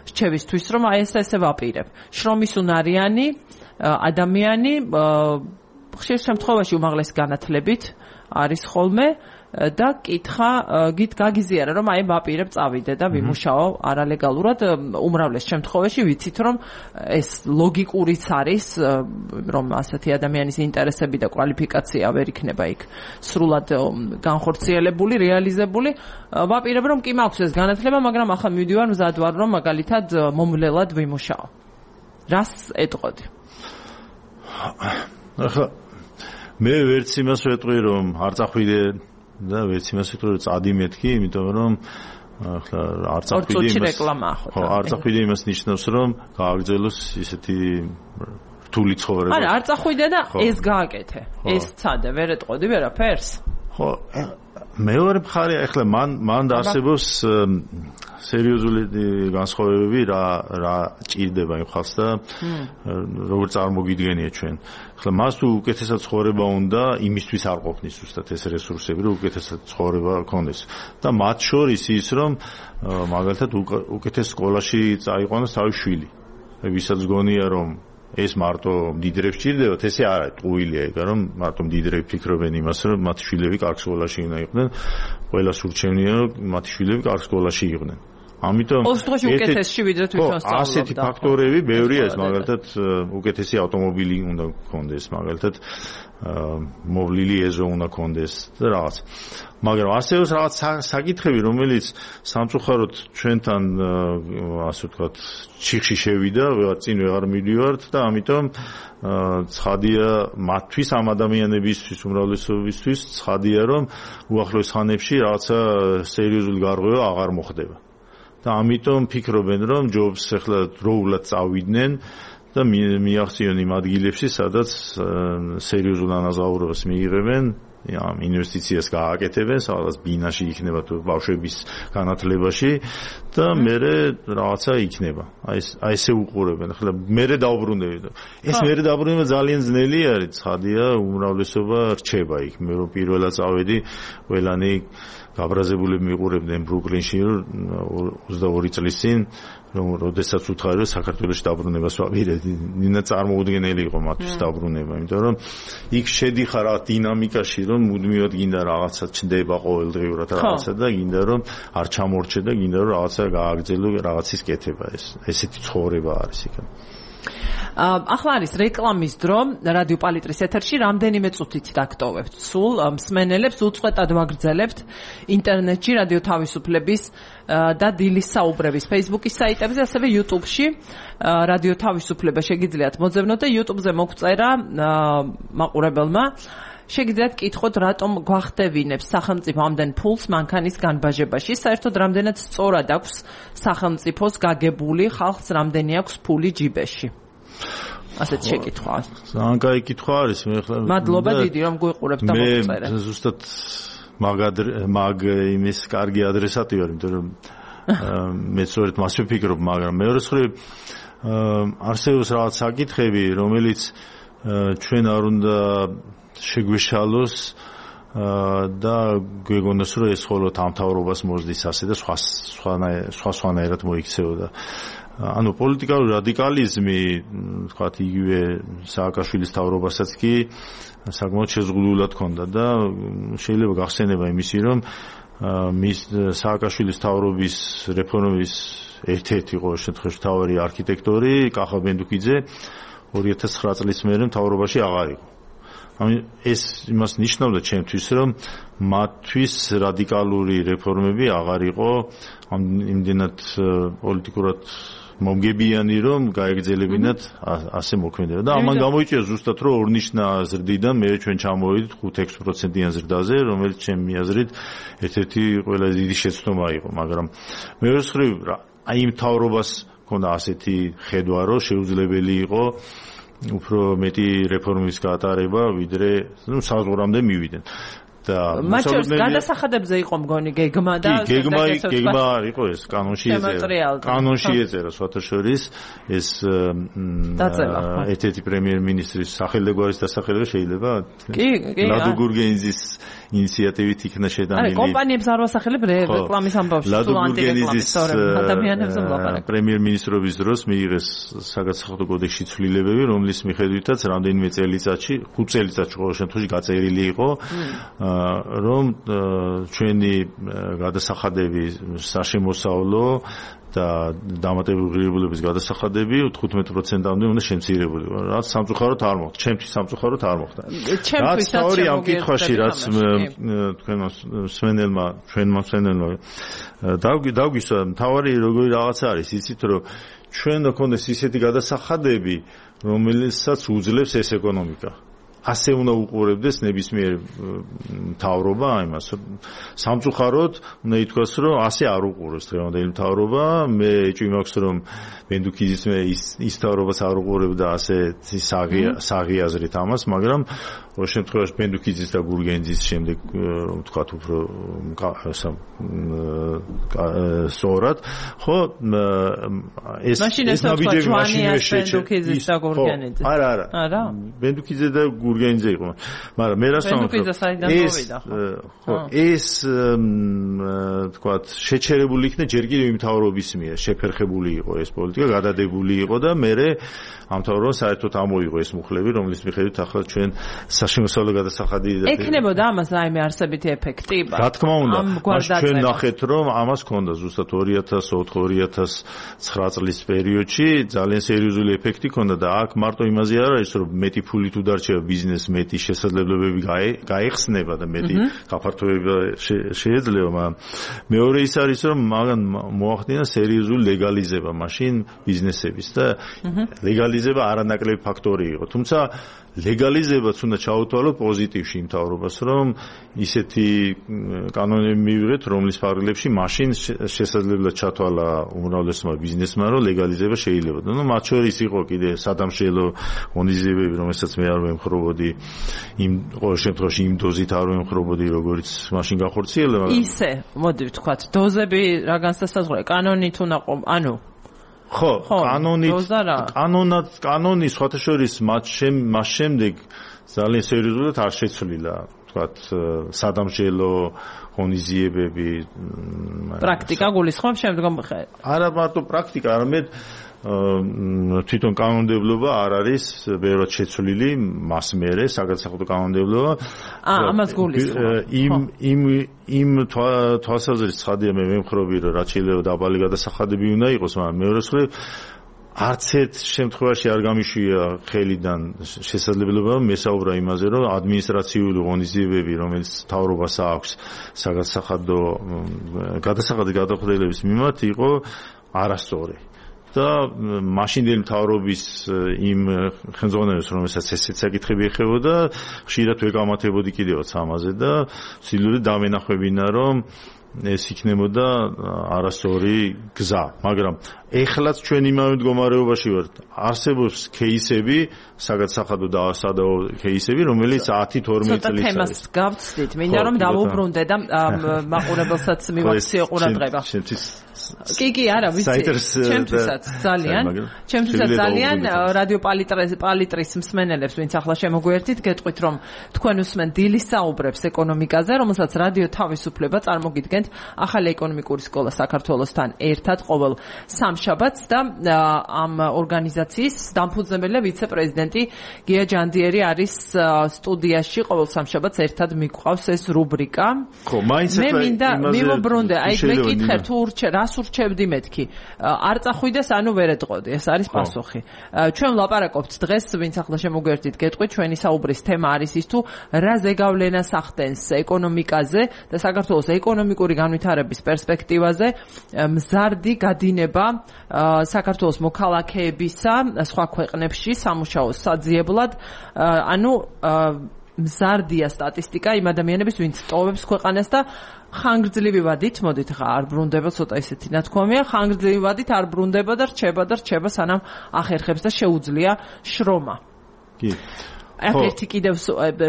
რჩევისთვის რომ აი ესე ვაპირებ. შრომის უნარიანი ადამიანი ხშირ შემთხვევაში უმაღლესი განათლებით არის ხოლმე და კითხა გაგიზიარა რომ აი ვაპირებ წავიდე და ვიმუშაო არალეგალურად უმრავლეს შემთხვევაში ვიცით რომ ეს ლოგიკურიც არის რომ ასეთი ადამიანის ინტერესები და კვალიფიკაცია ვერ იქნება იქ სრულად განხორციელებული რეალიზებული ვაპირებ რომ კი მაქვს ეს განათლება მაგრამ ახლა მივდივარ მზად ვარ რომ მაგალითად მომვლელად ვიმუშაო რას ეტყოდი ახლა მე ვერც იმას ვეტყვი რომ არ წახვიდე და ვერც იმას ვიტყვი რომ წადი მეთქი, იმიტომ რომ ახლა არ წახვიდე იმას. ხო, არ წახვიდე იმას ნიშნავს რომ გააგრძელოს ისეთი რთული ცხოვრება. არა, არ წახვიდე და ეს გააკეთე. ეს ცადე, ვერ ეტყოდი ვერაფერს? ხო, მეორე მხარე ახლა მან დაასებოს სერიოზული განსხვავებები რა ჭირდება იმ ხალხს და როგორ წარმოგიდგენია ჩვენ. ახლა მას თუ უკეთესად ცხოვრება უნდა, იმისთვის არ ყოფნის ზუსტად ეს რესურსები, რომ უკეთესად ცხოვრება გქონდეს. და მათ შორის ის რომ მაგალითად უკეთეს სკოლაში წაიყვანოს თავის შვილი. ვისაც გონია რომ ეს მარტო მდიდრებს ჭირდებათ, ესე არ არის, ტყუილია ეგ, რომ მარტო მდიდრები ფიქრობენ იმას, რომ მათი შვილები კარგ სკოლაში უნდა იყვნენ, ყველას ურჩევნია, რომ მათი შვილები კარგ სკოლაში იყვნენ. ამიტომ უკეთესში ვიდრე თვითონ სწავლობდა. ასეთი ფაქტორები ბევრია ეს, მაგალითად უკეთესი ავტომობილი უნდა გქონდეს, მაგალითად მოვლილი ეზო უნდა გქონდეს და რაღაც. მაგრამ ასევე რაღაც საკითხები, რომელიც სამწუხაროდ ჩვენთან ასე ვთქვათ, ჩიხში შევიდა, წინ ვეღარ მივდივართ და ამიტომ ცხადია მათთვის ამ ადამიანებისთვის, უმრავლესობისთვის ცხადია, რომ უახლოეს ხანებში რაღაცა სერიოზული გარღვევა აღარ მოხდება. და ამიტომ ფიქრობენ, რომ ჯობს ახლა დროულად წავიდნენ და მიაღწიონ იმ ადგილებში, სადაც სერიოზულ ანაზღაურებას მიიღებენ, ამ ინვესტიციას გააკეთებენ, სადაც ბინაში იქნება თუ ბავშვების განათლებაში და მერე რაღაცა იქნება. აი ესე უყურებენ. ახლა მერე დაუბრუნდები. ეს მერე დაუბრუნება ძალიან ძნელი არის, ცხადია, უმრავლესობა რჩება იქ. მე რომ პირველად წავედი, ყველანი გაბრაზებულები მიყურებდნენ ბრუკლინში 22 წლის წინ, რომ როდესაც უთხარი რომ საქართველოში დაბრუნებას ვაპირებდი, ნინა წარმოუდგენელი იყო მათთვის დაბრუნება, იმიტომ რომ იქ შედიხარ რა დინამიკაში, რომ მუდმივად გინდა რაღაცა ჩნდება ყოველდღიურად რაღაცა და გინდა რომ არ ჩამორჩე და გინდა რომ რაღაცა გააგრძელო, რაღაცის კეთება ეს. ესეთი ცხოვრება არის იქ. ახლა არის რეკლამის დრო რადიო პალიტრის ეთერში რამდენიმე წუთით დაგტოვებთ სულ მსმენელებს უწყვეტად ვაგრძელებთ ინტერნეტში რადიო თავისუფლების და დილის საუბრების Facebook-ის საიტებზე ასევე YouTube-ში რადიო თავისუფლება შეგიძლიათ მოძებნოთ და YouTube-ზე მოგწერა მაყურებელმა შეგიძლიათ კითხოთ, რატომ გვახდევინებს სახელმწიფო ამდენ ფულს მანქანის განბაჟებაში? საერთოდ რამდენად სწორად აქვს სახელმწიფოს გაგებული, ხალხს რამდენი აქვს ფული ჯიბეში? ასეთ შეკითხვა. ძალიან კაი კითხვა არის. მადლობა დიდი, რომ გვიყურებთ და მოწერეთ. მე ზუსტად მაგ იმის კარგი ადრესატი ვარ, იმიტომ რომ მე სწორედ მას ვფიქრობ, მაგრამ მეორე მხრივ არსებობს რაღაც საკითხები, რომელიც ჩვენ არ უნდა შეგვეშალოს და გვეგონოს, რომ ეს მხოლოდ ამ მთავრობას მოსდის ასე და სხვანაირად მოიქცეოდა. ანუ პოლიტიკალური რადიკალიზმი, თქვათ, იგივე სააკაშვილის მთავრობასაც კი საკმაოდ შეზღუდულად ჰქონდა და შეიძლება გახსენება იმისი, რომ მის სააკაშვილის მთავრობის რეფორმების ერთ-ერთი ყოველ შემთხვევაში მთავარი არქიტექტორი კახა ბენდუქიძე 2009 წლის მერე მთავრობაში აღარ იყო. ანუ ეს იმას ნიშნავდა ჩემთვის, რომ მათთვის რადიკალური რეფორმები აღარ იყო იმდენად პოლიტიკურად მომგებიანი, რომ გაეგრძელებინათ ასე მოქმედება. და ამან გამოიწვია ზუსტად, რომ ორნიშნა ზრდიდან მე ჩვენ ჩამოვედით 5-6%-იან ზრდაზე, რომელიც ჩემი აზრით ერთ-ერთი ყველაზე დიდი შეცდომა იყო, მაგრამ მეორე მხრივ აი იმ მთავრობას ჰქონდა ასეთი ხედვა, რომ შეუძლებელი იყო უფრო მეტი რეფორმის გატარება, ვიდრე საზღვრამდე მივიდნენ. და მათ შორის გადასახადებზე იყო მგონი გეგმა და გეგმა არ იყო ეს კანონში ეწერა სხვათა შორის ეს ერთ-ერთი პრემიერ-მინისტრის სახელმწიფოს დასახელება შეიძლება ლადო გურგენიძის ინიციატივით იქნა შეტანილი. არა, კომპანიებს არ ვასახელებ რეკლამის ამბავში, თუ ანტირეკლამის ადამიანებზე ვლაპარაკ. პრემიერ-მინისტრობის დროს მიიღეს საგადასახადო კოდექსში ცვლილებები, რომლის მიხედვითაც რამდენიმე წელიწადში, 5 წელიწადში ყოველ შემთხვევაში გაწერილი იყო, რომ ჩვენი გადასახადები საშემოსავლო და დამატებული ღირებულების გადასახადები 15%-ამდე უნდა შემცირებული. რაც სამწუხაროდ არ მოხდა. ჩემთვის სამწუხაროდ არ მოხდა. ჩემთვის სწორი ამ კითხვაში, რაც თქვენმა სვენელმა დაგვისვა, მთავარი როგორი რაღაც არის, იცით, რომ ჩვენ გქონდეს ისეთი გადასახადები, რომელსაც უძლებს ეს ეკონომიკა. ასე უნდა უყურებდეს ნებისმიერ მთავრობა იმას. სამწუხაროდ უნდა ითქვას, რომ ასე არ უყურებს დღევანდელი მთავრობა. მე ეჭვი მაქვს, რომ ბენდუქიძის ის მთავრობას არ უყურებდა ასე საღი აზრით ამას, მაგრამ ყოველ შემთხვევაში ბენდუქიძის და გურგენიძის შემდეგ ვთქვათ უფრო სწორად, ხო ეს ნაბიჯები მაშინვე ბენდუქიძის და გურგენიძის. არა. ბენდუქიძე და გურგენიძე იყო. მაგრამ მე რას ვამბობ, ეს ვთქვათ შეჩერებული იქნა ჯერ კიდევ იმ მთავრობის მიერ, შეფერხებული იყო ეს პოლიტიკა, გადადებული იყო და მე ამ მთავრობას საერთოდ ამოიღო ეს მუხლები, რომლის მიხედვით ახლა ჩვენ საშემოსავლო გადასახადი ექნებოდა ამას რაიმე არსებითი ეფექტი? რა თქმა უნდა, ჩვენ ნახეთ, რომ ამას ჰქონდა ზუსტად 2004-2009 წლის პერიოდში ძალიან სერიოზული ეფექტი ჰქონდა და აქ მარტო იმაზე არ არის, რომ მეტი ფული თუ დარჩება ბიზნესს, მეტი შესაძლებლობები გაიხსნება და მეტი გაფართოება შეიძლება, მაგრამ მეორე ის არის, რომ მაგან მოახდინა სერიოზული ლეგალიზება მაშინ ბიზნესების და ლეგალიზება არანაკლები ფაქტორი იყო. თუმცა ლეგალიზებაც უნდა ჩაუთვალოთ პოზიტივში იმ მთავრობას, რომ ისეთი კანონები მივიღეთ, რომლის ფარგლებში მაშინ შესაძლებლად ჩათვალა უმრავლესმა ბიზნესმა, რომ ლეგალიზება შეიძლება. ნუ მათ შორის იყო კიდე სადამშრალო ღონისძიებები, რომელსაც მე არ ვემხრობოდი, იმ ყოველ შემთხვევაში იმ დოზით არ ვემხრობოდი, როგორც მაშინ გახორციელება. ისე, მოდი ვთქვათ, დოზები რა განსასაზღვროა, კანონით უნდა ანუ ხო, კანონი სხვათა შორის მას შემდეგ ძალიან სერიოზულად არ შეცვლილა, ვთქვათ, სადამშრალო ღონისძიებები. პრაქტიკა გულისხმობს შემდგომ არა მარტო პრაქტიკა, არამედ თვითონ კანონმდებლობა არ არის ბევრად შეცვლილი მას მერე საგადასახადო კანონმდებლობა. ამას გულისხმობს. იმ თვალსაზრისით ცხადია მე ვემხრობი, რომ რაც შეიძლება დაბალი გადასახადები უნდა იყოს, მაგრამ მეორე მხრივ არც ერთ შემთხვევაში არ გამიშვია ხელიდან შესაძლებლობა მესაუბრა იმაზე, რომ ადმინისტრაციული ღონისძიებები, რომელიც მთავრობას აქვს საგადასახადო გადახდელების მიმართ იყო არასწორი. და მაშინდელი მთავრობის იმ ხელმძღვანელებს, რომელსაც ესეც საკითხები ეხებოდა, ხშირად ვერ გამართებოდი კიდევაც ამაზე და სილური დამენახვებინა, რომ ეს იქნებოდა არასწორი გზა, მაგრამ ეხლაც ჩვენ იმავე მდგომარეობაში ვართ. არსებობს кейსები, საგადსახადო და სადაო кейსები, რომელიც 10-12 წელიწადია. ცოტა თემას გავცდით, მინდა რომ დავუბრუნდე და მაყურებელსაც მივაქციო ყურადღება. კი, არა, ვიცი. ჩემთვისაც ძალიან რადიო პალიტრის მსმენელებს, ვინც ახლა შემოგვიერთით, გეტყვით, რომ თქვენ უსმენ დილის საუბრებს ეკონომიკაზე, რომელსაც რადიო თავისუფლება წარმოგიდგენთ ახალი ეკონომიკური სკოლა საქართველოსთან ერთად ყოველ სამშაბათს და ამ ორგანიზაციის დამფუძნებელი ვიცე-პრეზიდენტი გია ჯანდიერი არის სტუდიაში ყოველ სამშაბათს ერთად მიგვყავს ეს რუბრიკა. ხო, მაინც მე მინდა მივუბრუნდე, აი მეკითხე თუ რას ურჩევდი მეთქი. არ წახვიდეს, ანუ ვერ ეტყოდი, ეს არის პასუხი. ჩვენ ვლაპარაკობთ დღეს, ვინც ახლა შემოგვიერთით, გეტყვით, ჩვენი საუბრის თემა არის ის თუ რა ზეგავლენას ახდენს ეკონომიკაზე და საქართველოს ეკონომიკური განვითარების პერსპექტივაზე მზარდი გადინება საქართველოს მოქალაქეებისა სხვა ქვეყნებში სამუშაოს საძიებლად, ანუ მზარდია სტატისტიკა იმ ადამიანების, ვინც ტოვებს ქვეყანას და ხანგრძლივი ვადით, მოდით ხა არ ბრუნდება, ცოტა ისეთი ნათქვამია, ხანგრძლივი ვადით არ ბრუნდება და რჩება სანამ ახერხებს და შეუძლია შრომა. კი. ერთი კიდევ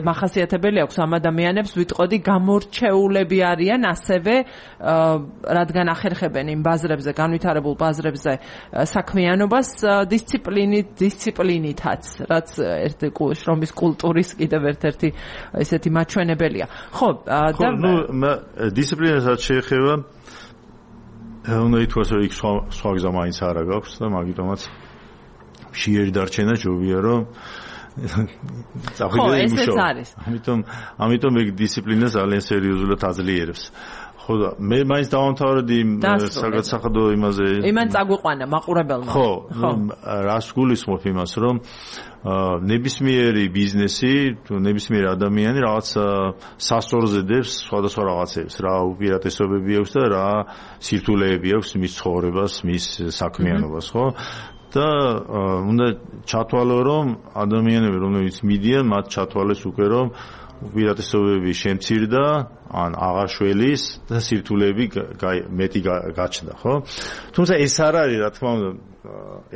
მახასიათებელი აქვს ამ ადამიანებს, ვიტყოდი გამორჩეულები არიან ასევე, რადგან ახერხებენ იმ ბაზრებზე, განვითარებულ ბაზრებზე საქმიანობას დისციპლინითაც, რაც ერთი შრომის კულტურის კიდევ ერთ-ერთი ესეთი მაჩვენებელია. ხო, და დისციპლინასაც შეეხება უნდა ითქვას, რომ იქ სხვა გზა მაინც არა გაქვს და მაგიტომაც მშიერი დარჩენა ჯობია, რომ ხო, ესეც არის. ამიტომ ეგ დისციპლინა ძალიან სერიოზულად აძლიერებს. ხო და მე მაინც დავამთავრდი საგადსახადო იმაზე. იმან წაგვიყვანა მაყურებელმა. ხო, რას გულისხმობ იმას, რომ ნებისმიერი ბიზნესი, ნებისმიერი ადამიანი რაღაც სასწორზე დებს სხვადასხვა რაღაცებს, რა უპირატესობები აქვს და რა სირთულეები აქვს მის ცხოვრებას, მის საქმიანობას, ხო? და უნდა ჩათვალო, რომ ადამიანები, რომლებიც მიდიან, მათ ჩათვალეს უკვე, რომ უპირატესობები შემცირდა, ან აღარ შველის და სირთულეები მეტი გაჩნდა, ხო? თუმცა ეს არ არის, რა თქმა უნდა,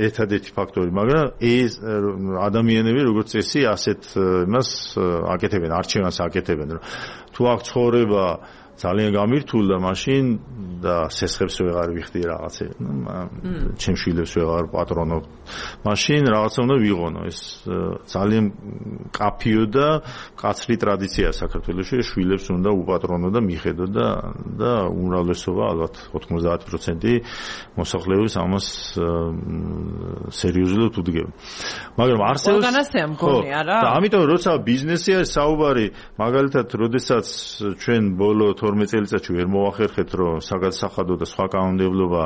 ერთადერთი ფაქტორი, მაგრამ ეს ადამიანები, როგორც წესი, ასეთ იმას აკეთებენ, არჩევანს აკეთებენ, რომ თუ აქ ცხოვრება ძალიან გამირთულდა მაშინ და სესხებს ვეღარ ვიხდი რაღაცე, ჩემ შვილებს ვეღარ პატრონობ. მაშინ რაღაცა უნდა ვიღონო. ეს ძალიან კაფიო და მკაცრი ტრადიციაა საქართველოში, შვილებს უნდა უპატრონო და მიხედო და უმრავლესობა, ალბათ 90% მოსახლეობის ამას სერიოზულად უდგება. მაგრამ არსებობს ორგანიზაცია მგონი, არა? და ამიტომ როცა ბიზნესი არის საუბარი, მაგალითად, როდესაც ჩვენ ბოლო 12 წელიწადში ვერ მოახერხეთ, რომ საგადსახადო და სხვა კანონმდებლობა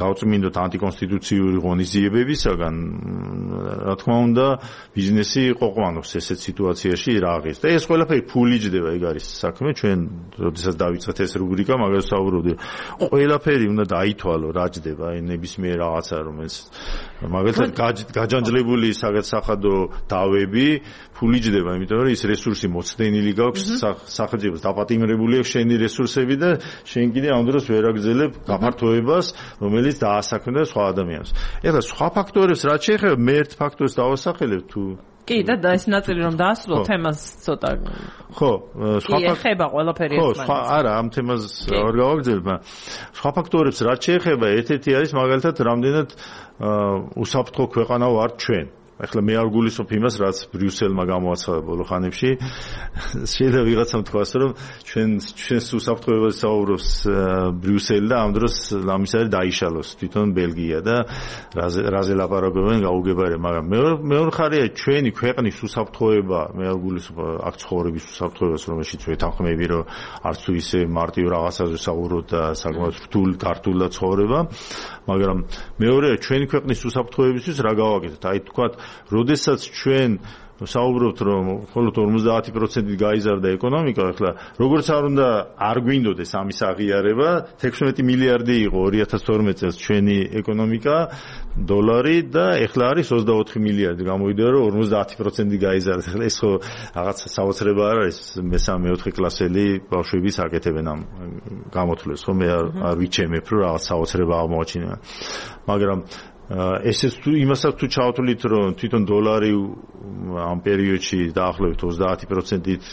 გავწმინდოთ ანტიკონსტიტუციური ღონისძიებებისაგან, რა თქმა უნდა, ბიზნესი ყოყმანობს ესეთ სიტუაციაში რაღის. და ეს ყველაფერი ფულიჯდება, ეგ არის საქმე, ჩვენ როდესაც დავიწყეთ ეს რუბრიკა, მაგას საუბრობდი. ყველაფერი უნდა დაითვალო, რა ჯდება, აი ნებისმიერ რაღაცა, რომელიც მაგალითად გაჯანჯლებული საგადსახადო დავები ფულიჯდება, იმიტომ რომ ის რესურსი მოცდენილი გაქვს სახელმწიფოს დაპატიმრებული აქვს შენი რესურსები და შენ კიდე ამ დროს ვერ აგრძელებ გაფართოებას, რომელიც დაასაქმდა სხვა ადამიანს. ეხლა სხვა ფაქტორებს რაც შეეხება, მე ერთ ფაქტორს დავასახელებ თუ კი და ეს ნაწილი რომ დაასრულო თემას ცოტა. ხო, სხვა ეხება ყველაფერი ერთმანეთს. ხო, არა, ამ თემას არ გავაგრძელებ, მაგრამ სხვა ფაქტორებს რაც შეეხება, ერთ-ერთი არის მაგალითად, რამდენად უსაფრთხო ქვეყანა ვართ ჩვენ. ახლა მე არ გულისხმობ იმას, რაც ბრიუსელმა გამოაცხადა ბოლო ხანებში. შეიძლება ვიღაცამ თქვას, რომ ჩვენს უსაფრთხოებაზე საუბრობს ბრიუსელი და ამ დროს ამის არის დაიშალოს თვითონ ბელგია და რაზე ლაპარაკობენ გაუგებარია, მაგრამ მეორე ხარია ჩვენი ქვეყნის უსაფრთხოება, მე არ გულისხმობ აქ ცხოვრების უსაფრთხოებას, რომელშიც ვეთანხმები, რომ არც თუ ისე მარტივ რაღაცაზე საუბრობთ და საკმაოდ რთულ გართულდა ცხოვრება, მაგრამ მეორეა ჩვენი ქვეყნის უსაფრთხოებისთვის რა გავაკეთოთ? აი თქვათ, როდესაც ჩვენ საუბრობთ რომ მხოლოდ 50% გაიზარდა ეკონომიკა, ახლა როგორც არ უნდა არ გვინდოდეს ამის აღიარება, 16 მილიარდი იყო 2012 წელს ჩვენი ეკონომიკა დოლარი და ახლა არის 24 მილიარდი, გამოვიდა რომ 50% გაიზარდა. ახლა ეს ხო რაღაც საოცრება არ არის, მე-4 კლასელი ბავშვებიც აკეთებენ ამ გამოთვლებს, ხო მე არ ვიჩემებ რომ რაღაც საოცრება აღმოაჩინა. მაგრამ ესეც თუ იმასაც თუ ჩავთვლით რომ თვითონ დოლარი ამ პერიოდში დაახლოებით 30%-ით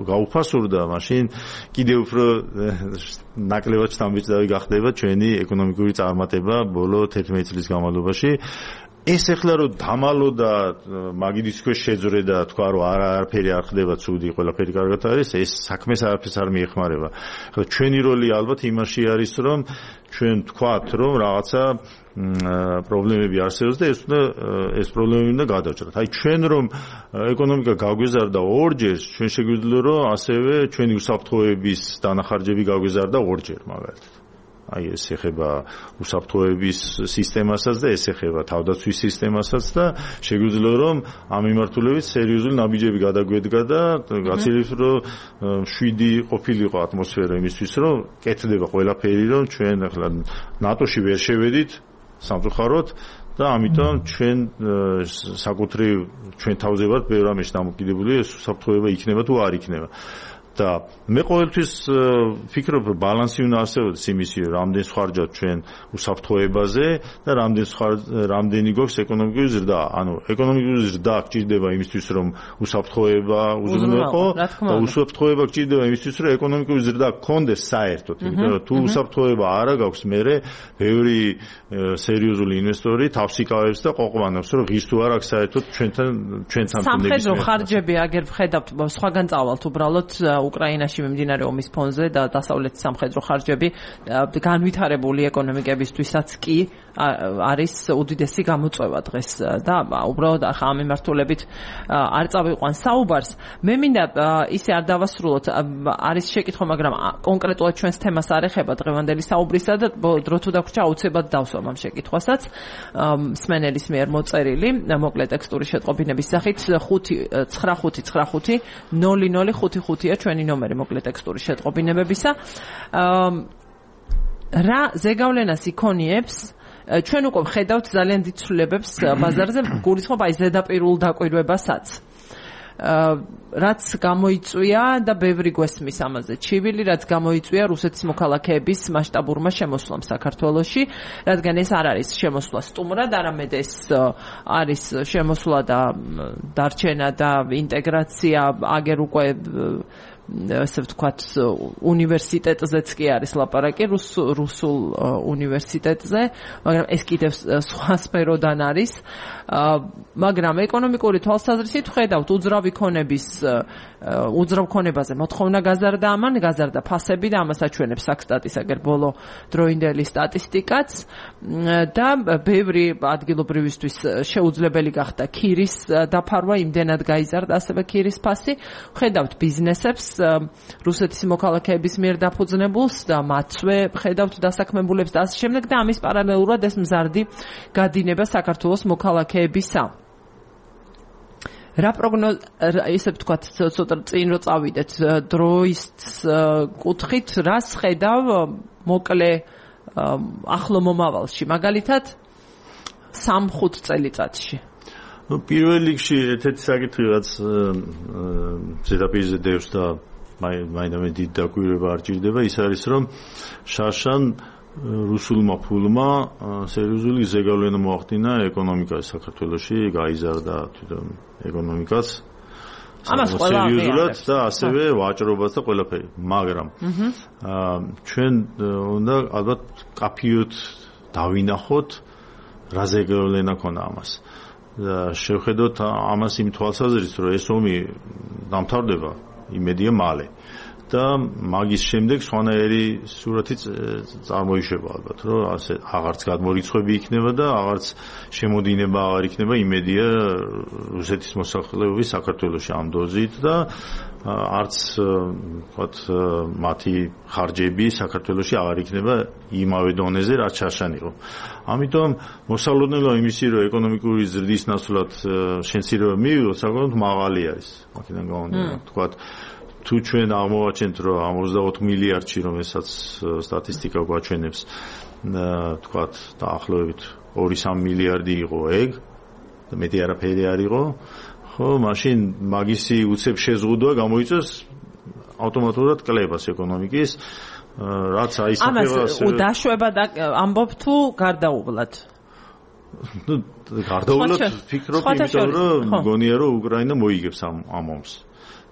გაუფასურდა, მაშინ კიდევ უფრო ნაკლებად შთამბეჭდავი გახდება ჩვენი ეკონომიკური წარმატება ბოლო 11 წლის განმავლობაში. ეს ახლა რომ დამალო და მაგიდის ქვეშ შეძრე და თქვა რომ არაფერი არ ხდება ცუდი, ყველაფერი კარგად არის, ეს საქმეს არაფერს არ მიეხმარება. ახლა ჩვენი როლი ალბათ იმაში არის რომ ჩვენ თქვათ რომ რაღაცა პრობლემები არსებობს და ეს პრობლემები უნდა გადავჭრათ. აი ჩვენ რომ ეკონომიკა გაგვეზარდა ორჯერ, ჩვენ შეგვიძლია რომ ასევე ჩვენი უსაფრთხოების დანახარჯები გაგვეზარდა ორჯერ მაგალითად. აი ეს ეხება უსაფრთხოების სისტემასაც და ეს ეხება თავდაცვის სისტემასაც და შეგვიძლია რომ ამ მიმართულებით სერიოზული ნაბიჯები გადაგვედგა და გაცილებით რომ 7 ყოფილიყო ატმოსფერო იმისთვის რომ კეთდება ყველაფერი რომ ჩვენ ახლა ნატოში ვერ შევედით სამწუხაროდ და ამიტომ ჩვენ საკუთრივ ჩვენ თავზე ვართ ბევრ რამეში დამოკიდებული, ეს უსაფრთხოება იქნება თუ არ იქნება. და მე ყოველთვის ვფიქრობ რომ ბალანსი უნდა არსებობდეს იმისი რომ რამდენი ხარჯავთ ჩვენ უსაფრთხოებაზე და რამდენი გვაქვს ეკონომიკური ზრდა. ანუ ეკონომიკური ზრდა გჭირდება იმისთვის რომ უსაფრთხოება უზრუნველყო და უსაფრთხოება გჭირდება იმისთვის რომ ეკონომიკური ზრდა გქონდეს საერთოდ. იმიტომ რომ თუ უსაფრთხოება არა გაქვს, მერე ბევრი სერიოზული ინვესტორი თავს იკავებს და ყვაყვანობს რომ ღირს თუ არ აქვს საერთოდ ჩვენთან სამხედრო ხარჯები აგერ ვხედავთ სხვაგან წავალთ უბრალოდ უკრაინაში მიმდინარე ომის ფონზე და დასავლეთის სამხედრო ხარჯები განვითარებული ეკონომიკებისთვისაც კი არის უდიდესი გამოწვევა დღეს და უბრალოდ ახლა ამ მიმართულებით არ წავიყვან საუბარს. მე მინდა ისე არ დავასრულოთ, არის შეკითხვა, მაგრამ კონკრეტულად ჩვენს თემას არ ეხება დღევანდელი საუბრისა და დრო თუ დაგვრჩა აუცილებლად დავსვამ ამ შეკითხვასაც. მსმენელის მიერ მოწერილი მოკლე ტექსტური შეტყობინების სახით 59595 0055-ია ჩვენი ნომერი მოკლე ტექსტური შეტყობინებებისა. რა ზეგავლენას იქონიებს ჩვენ უკვე ვხედავთ ძალიან დიდ ცვლილებებს ბაზარზე, გულისხმობ აი ზედაპირულ დაკვირვებასაც. რაც გამოიწვია და ბევრი გვესმის ამაზე ჩივილი, რაც გამოიწვია რუსეთის მოქალაქეების მასშტაბურმა შემოსვლამ საქართველოში, რადგან ეს არ არის შემოსვლა სტუმრად, არამედ ეს არის შემოსვლა და დარჩენა და ინტეგრაცია აგერ უკვე ასე ვთქვათ უნივერსიტეტზეც კი არის ლაპარაკი, რუსულ უნივერსიტეტზე, მაგრამ ეს კიდევ სხვა სფეროდან არის. მაგრამ ეკონომიკური თვალსაზრისით ვხედავთ უძრავ ქონებაზე მოთხოვნა გაზარდა ამან, გაზარდა ფასები და ამას აჩვენებს საქსტატის აგერ ბოლო დროინდელი სტატისტიკაც და ბევრი ადგილობრივისთვის შეუძლებელი გახდა ქირის დაფარვა, იმდენად გაიზარდა ასევე ქირის ფასი. ვხედავთ ბიზნესებს რუსეთის მოქალაქეების მიერ დაფუძნებულს და მათვე ხედავთ დასაქმებულებს და ასე შემდეგ და ამის პარალელურად ეს მზარდი გადინება საქართველოს მოქალაქეებისა. რა ისე ვთქვათ, ცოტა წინ რო წავიდეთ დროის კუთხით, რას ხედავ მოკლე ახლო მომავალში, მაგალითად 3-5 წელიწადში? პირველ რიგში ერთ-ერთი საკითხი რაც ზედაპირზე დევს და მაინდამე დიდ დაკვირვება არ ჭირდება, ის არის რომ შარშან რუსულმა ფულმა სერიოზული ზეგავლენა მოახდინა ეკონომიკაში საქართველოში, გაიზარდა თვითონ ეკონომიკაც სერიოზულად და ასევე ვაჭრობაც და ყველაფერი. მაგრამ ჩვენ უნდა ალბათ კაფიოდ დავინახოთ რა ზეგავლენა ქონა ამას. და შევხედოთ ამას იმ თვალსაზრისით, რომ ეს ომი დამთავრდება იმედია მალე და მაგის შემდეგ სხვანაირი სურათი წარმოიშვება ალბათ, რომ ასე აღარც გადმორიცხვები იქნება და აღარც შემოდინება აღარ იქნება იმედია რუსეთის მოსახლეობის საქართველოში ამ დოზით და არც ვთქვათ მათი ხარჯები საქართველოში აღარ იქნება იმავე დონეზე რაც შარშან იყო. ამიტომ მოსალოდნელო იმისი რომ ეკონომიკური ზრდის ნაცვლად შენცირება მივიღოთ საკმაოდ მაღალი არის. აქედან გამომდინარე ვთქვათ თუ ჩვენ აღმოვაჩენთ რომ 64 მილიარდში რომელსაც სტატისტიკა გვაჩვენებს ვთქვათ დაახლოებით 2-3 მილიარდი იყო ეგ და მეტი არაფერი არ იყო ხო მაშინ მაგისი უცებ შეზღუდვა გამოიწვევს ავტომატურად კლებას ეკონომიკის რაც აისახება ასე დაშვება და ამბობ თუ გარდაუვლად გარდაუვლად ფიქრობ იმიტომ რომ მგონია რომ უკრაინა მოიგებს ამ ომს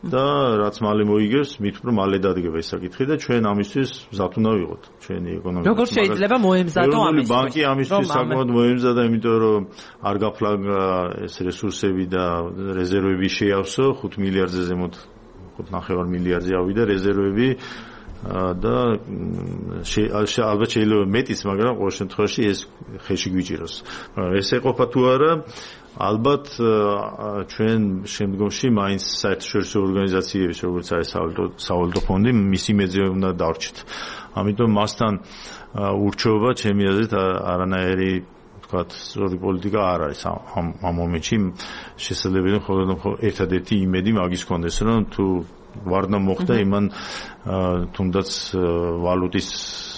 და რაც მალე მოიგებს, მით უფრო მალე დადგება ეს საკითხი და ჩვენ ამისთვის მზად უნდა ვიყოთ, ჩვენი ეკონომიკა. როგორ შეიძლება მოემზადო ამისთვის? ბანკი ამისთვის საკმაოდ მოემზადა, იმიტომ რომ არ გაფლაგა ეს რესურსები და რეზერვები შეავსო, 5 მილიარდზე ზემოთ 5.5 მილიარდზე ავიდა რეზერვები და ალბათ შეიძლება მეტიც, მაგრამ ყოველ შემთხვევაში ეს ხელში გვიჭიროს. ეს ეყოფა თუ არა ალბათ ჩვენ შემდგომში მაინც საერთაშორისო ორგანიზაციების როგორც არის სავალუტო ფონდი მისი მეძე უნდა დარჩეთ. ამიტომ მასთან ურჩეობა ჩემი აზრით არანაირი ვთქვათ სწორი პოლიტიკა არ არის ამ მომენტში შესაძლებელი მხოლოდ ერთადერთი იმედი მაგის კონდეს რომ თუ ვარდნა მოხდა იმან თუნდაც ვალუტის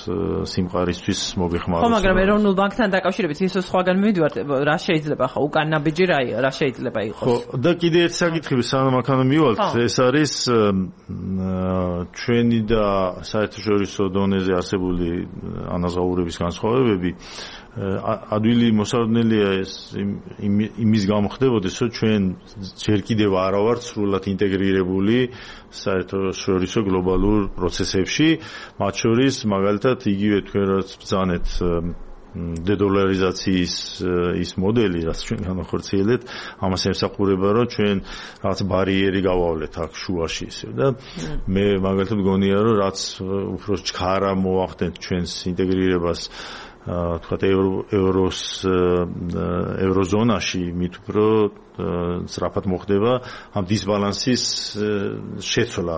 სიმყარისთვის მოგეხმაროს. ხო, მაგრამ ეროვნულ ბანკთან დაკავშირებით ისო სხვაგან მივიდივართ, რა შეიძლება ხო უკან ნაბიჯი რა შეიძლება იყოს? ხო, და კიდე ერთი საკითხი სანამ აქ მივალთ, ეს არის ჩვენი და საერთაშორისო დონეზე არსებული ანაზღაურების განსხვავებები. ადვილი მოსალოდნელია ეს იმის გამო ხდებოდეს, რომ ჩვენ ჯერ კიდევ არა ვართ სრულად ინტეგრირებული საერთაშორისო გლობალურ პროცესებში, მათ შორის მაგალითად იგივე თქვენ რაც ბრძანეთ დედოლარიზაციის ის მოდელი, რაც ჩვენ განახორციელებთ, ამას ემსახურება, რომ ჩვენ რაღაც ბარიერი გავავლეთ აქ შუაში ისე და მე მაგალითად მგონია, რომ რაც უფრო ჩქარა მოახდენთ ჩვენს ინტეგრირებას თქვათ ევროზონაში მით უფრო სწრაფად მოხდება ამ დისბალანსის შეცვლა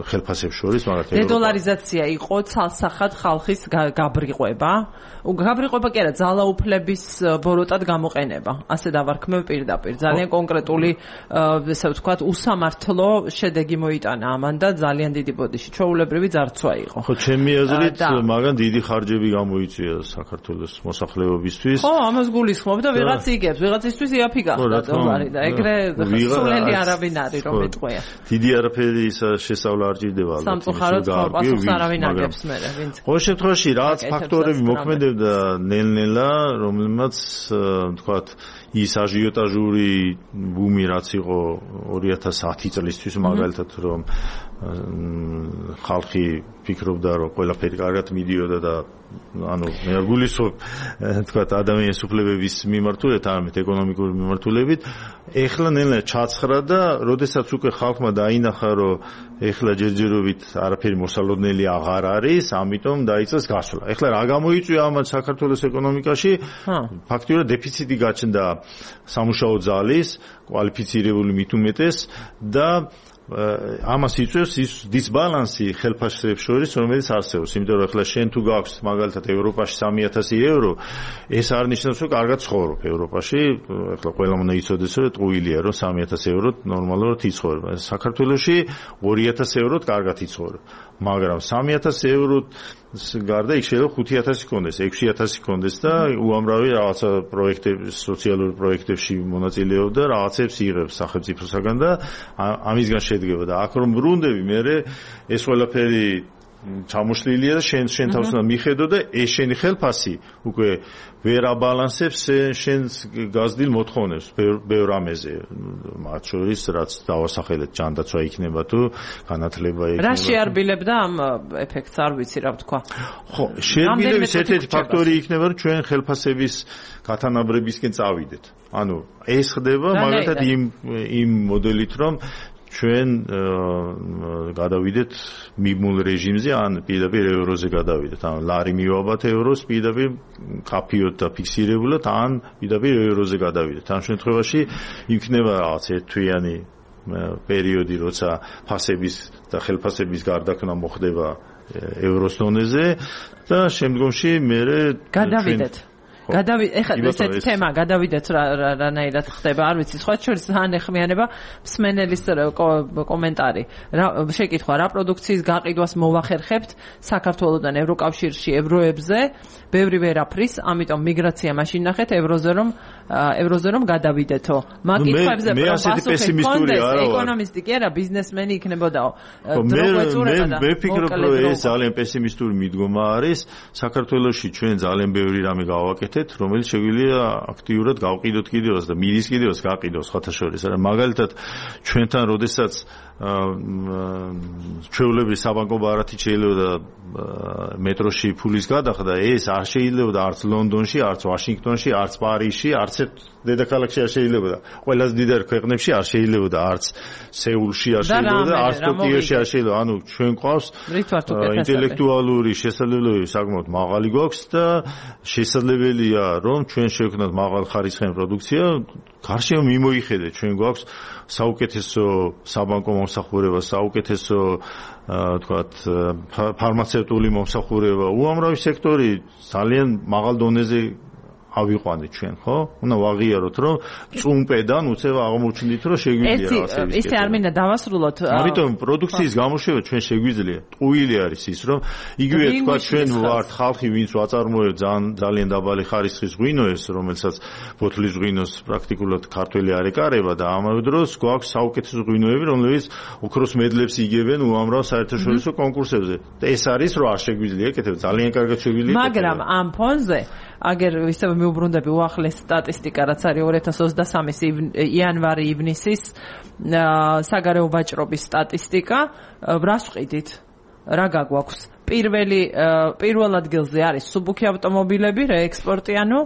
ხელფასებს შორის, მაგრამ დედოლარიზაცია იყო ცალსახად ხალხის გაბრიყვება. გაბრიყვება კი არა, ძალაუფლების ბოროტად გამოყენება. ასე დავარქმევ პირდაპირ. ძალიან კონკრეტული ესე ვთქვათ, უსამართლო შედეგი მოიტანა ამან და ძალიან დიდი ბოდიში ჩვეულებრივი ძარცვა იყო. ხო, ჩემი აზრით, მაგან დიდი ხარჯები გამოიწვია საქართველოს მოსახლეობისთვის. ხო, ამას გულისხმობ და ვიღაც იგებს, ვიღაცისთვის იაფი გახდა დოლარი და ეგრე სულელი არავინ არის რომ ეტყვია. დიდი არაფერი შესწავლა არ ჭირდება ალბათ. სამწუხაროდ პასუხს არავინ აგებს მე, ვინც. ყოველ შემთხვევაში რაც ფაქტორები მოქმედებდა ნელ-ნელა, რომელმაც თქვათ ის აჟიოტაჟური ბუმი რაც იყო 2010 წლისთვის მაგალითად რომ ხალხი ფიქრობდა რომ ყველაფერი კარგად მიდიოდა და ანუ მე არ გულისხმობ თქვათ ადამიანის უფლებების მიმართულებით, არამედ ეკონომიკური მიმართულებით, ეხლა ნელა ჩაცხრა და როდესაც უკვე ხალხმა დაინახა რომ ეხლა ჯერჯერობით არაფერი მოსალოდნელი აღარ არის, ამიტომ დაიწყეს გასვლა. ეხლა რა გამოიწვია ამათ საქართველოს ეკონომიკაში? ფაქტიურად დეფიციტი გაჩნდა სამუშაო ძალის, კვალიფიცირებული მით უმეტეს და ამას იწვევს ის დისბალანსი ხელფასებს შორის, რომელიც არსებობს. იმიტომ რომ ახლა შენ თუ გაქვს მაგალითად ევროპაში 3000 евро, ეს არ ნიშნავს რომ კარგად ცხოვრობ ევროპაში. ახლა ყველამ უნდა იცოდეს რომ ტყუილია რომ 3000 ევროთ ნორმალურად იცხოვრება. საქართველოში 2000 ევროთ კარგად იცხოვრებ. მაგრამ 3000 ევროთ გარდა იქ შეიძლება 5000 კონდეს, 6000 კონდეს და უამრავი რაღაცა პროექტების, სოციალური პროექტებში მონაწილეობ და რაღაცებს იღებს სახელმწიფოსაგან და ამისგან შედგება და აქ რომ ბრუნდები, მე ეს ყველაფერი ჩამოშლილია და შენ თავს უნდა მიხედო და ეს შენი ხელფასი უკვე ვერ აბალანსებს შენს გაზრდილ მოთხოვნებს ბევრ ამეზე, მათ შორის რაც დავასახელეთ, ჯანდაცვა იქნება თუ განათლება იქნება. რა შეარბილებდა ამ ეფექტს, არ ვიცი რა ვთქვა. ხო, შეარბილების ერთ-ერთი ფაქტორი იქნება, რომ ჩვენ ხელფასების გათანაბრებისკენ წავიდეთ. ანუ ეს ხდება მაგალითად იმ მოდელით, რომ ჩვენ გადავიდეთ მიბმულ რეჟიმზე, ან პირდაპირ ევროზე გადავიდეთ. ან ლარი მივაბათ ევროს პირდაპირ კაფიოთ და ფიქსირებულად, ან პირდაპირ ევროზე გადავიდეთ. ამ შემთხვევაში იქნება რაღაც ერთთვიანი პერიოდი, როცა ფასების და ხელფასების გარდაქმნა მოხდება ევროს დონეზე და შემდგომში მე გადავიდეთ. ეხლა ესეც თემა გადავიდეთ რანაირად ხდება, არ ვიცი, სხვა შორის ძალიან ეხმიანება მსმენელის კომენტარი. შეკითხვა, რა პროდუქციის გაყიდვას მოვახერხებთ საქართველოსთან ევროკავშირში ევროებზე, ბევრი ვერაფრის, ამიტომ მიგრაცია მაშინ ნახეთ ევროზე რომ გადავიდეთო. მაგ კითხვებზე პასუხი კონდეს, ეკონომისტი კი არა, ბიზნესმენი იქნებოდაო. მე ვფიქრობ, რომ ეს ძალიან პესიმისტური მიდგომა არის. საქართველოში ჩვენ ძალიან ბევრი რამე გავაკეთეთ, რომელიც შეგვიძლია აქტიურად გავყიდოთ კიდევაც და მიდის კიდევაც გაყიდოს ხათა შორის. არა მაგალითად ჩვენთან როდესაც ჩვეულებრივ საბანკო ბარათი შეიძლება მეტროში ფულის გადახდა, ეს არ შეიძლება არც ლონდონში, არც ვაშინგტონში, არც პარიზში, არც დედაქალაქში არ შეიძლება. ყველაზე დიდ ქვეყნებში არ შეიძლება, არც სეულში არ შეიძლება, არც ტოკიოში არ შეიძლება. ანუ ჩვენ ყავს ინტელექტუალური შესაძლებლობები საკმაოდ მაღალი გვაქვს და შესაძლებელია რომ ჩვენ შევქნათ მაღალ ხარისხიან პროდუქცია, გარშემო მიმოიხედეთ, ჩვენ გვაქვს საუკეთესო საბანკო მომსახურება, საუკეთესო თქვათ ფარმაცევტული მომსახურება, უამრავი სექტორი ძალიან მაღალ დონეზე ავიყვანეთ ჩვენ, ხო? უნდა ვაღიაროთ, რომ წუმპედან უცებ აღმოჩნდით, რომ შეგვიძლია ასე ის. ისე არ მინდა დავასრულოთ. ამიტომ პროდუქციის გამოშვება ჩვენ შეგვიძლია. ტყუილი არის ის, რომ იგივე თქვა ჩვენ ვართ ხალხი, ვინც ვაწარმოებთ ძალიან დაბალი ხარისხის ღვინოებს, რომელსაც ბოთლის ღვინოს პრაქტიკულად ქართველი არ ეკარება და ამავე დროს გვაქვს საუკეთესო ღვინოები, რომლებიც ოქროს მედლებს იგებენ უამრავ საერთაშორისო კონკურსებზე. ეს არის, რომ არ შეგვიძლია ეკეთებ, ძალიან კარგად შეგვიძლია. მაგრამ ამ ფონზე აგერ ისევ მიუბრუნდები უახლეს სტატისტიკა, რაც არის 2023 იანვარი-ივნისის საგარეო ვაჭრობის სტატისტიკა, რას ვყიდით? რა გაგვაქვს? პირველ ადგილზე არის სუბუქი ავტომობილები, რეექსპორტი, ანუ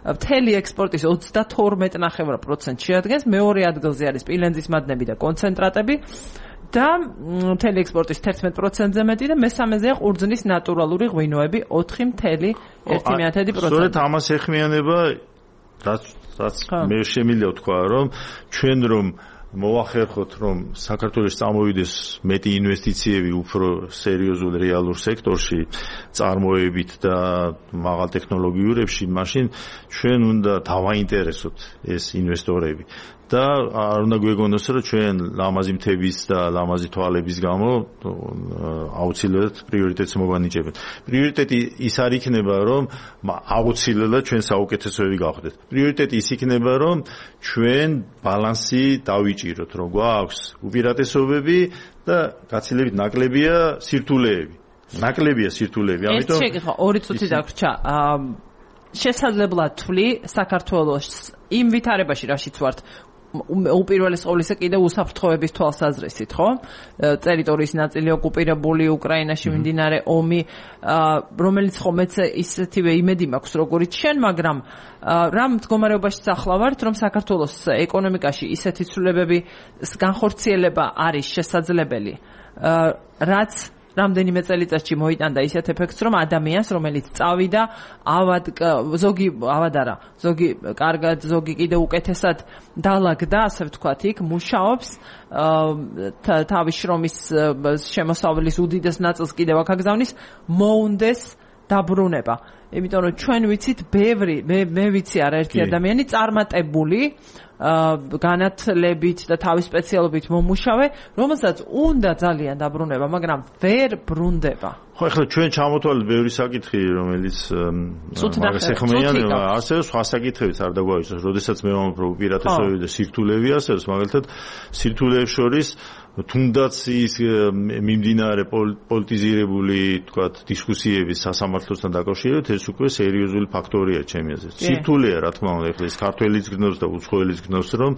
მთელი ექსპორტის 32.9% შეადგენს, მეორე ადგილზე არის სპილენძის მადნები და კონცენტრატები და მთელი ექსპორტის 11%-ზე მეტი და მესამეზეა ყურძნის ნატურალური ღვინოები 4.1%. სწორედ ამას ეხმიანება, რაც მე შემიძლია ვთქვა, რომ ჩვენ რომ მოვახერხოთ, რომ საქართველოს წამოვიდეს მეტი ინვესტიციები უფრო სერიოზულ რეალურ სექტორში, წარმოებით და მაღალ ტექნოლოგიურებში, მაშინ ჩვენ უნდა დავაინტერესოთ ეს ინვესტორები. და არ უნდა გვეგონოს, რომ ჩვენ ლამაზი მთების და ლამაზი თვალების გამო აუცილებლად პრიორიტეტს მოვანიჭებთ. პრიორიტეტი ის არ იქნება, რომ აუცილებლად ჩვენ საუკეთესოები გავხდეთ. პრიორიტეტი ის იქნება, რომ ჩვენ ბალანსი დავიჭიროთ, რომ გვაქვს უპირატესობები და გაცილებით ნაკლებია სირთულეები. ამიტომ ეს შეკითხვა 2 წუთი დაგვრჩა. შესაძლებლად თვლი საქართველოს იმ ვითარებაში, რაშიც ვართ, უპირველეს ყოვლისა კიდევ უსაფრთხოების თვალსაზრისით, ხო? ტერიტორიის ნაწილი ოკუპირებული, უკრაინაში მიმდინარე ომი, რომელიც ხომეც ისეთივე იმედი მაქვს, როგორიც შენ, მაგრამ რა მდგომარეობაში ახლა ვართ, რომ საქართველოს ეკონომიკაში ისეთი ცვლილებების განხორციელება არის შესაძლებელი, რაც რამდენიმე წელიწადში მოიტანდა ისეთ ეფექტს, რომ ადამიანს, რომელიც წავიდა, ზოგი კარგად, ზოგი კიდევ უკეთესად დალაგდა, ასე ვთქვათ, იქ მუშაობს, თავის შრომის შემოსავლის უდიდეს ნაწილს კიდევ აქ აგზავნის, მოუნდეს დაბრუნება. იმიტომ რომ ჩვენ ვიცით ბევრი, მე ვიცი არაერთი ადამიანი წარმატებული განათლებით და თავის სპეციალობით მომუშავე, რომელსაც უნდა ძალიან დაბრუნება, მაგრამ ვერ ბრუნდება. ხო, ახლა ჩვენ ჩამოთვალეთ ბევრი საკითხი, რომელიც მაგას ეხმიანება, ასევე სხვა საკითხებიც არ დაგვაიცნოს, როდესაც მე ვამბობ, რომ უპირატესობები და სირთულეები ასევე, მაგალითად, სირთულეებს შორის თუნდაც ის მიმდინარე პოლიტიზირებული, თქვათ, დისკუსიების სასამართლოსთან დაკავშირებით, ეს უკვე სერიოზული ფაქტორია ჩემი აზრით. სირთულეა, რა თქმა უნდა, ახლა ეს ქართველიც გნობს და უცხოელიც გნობს, რომ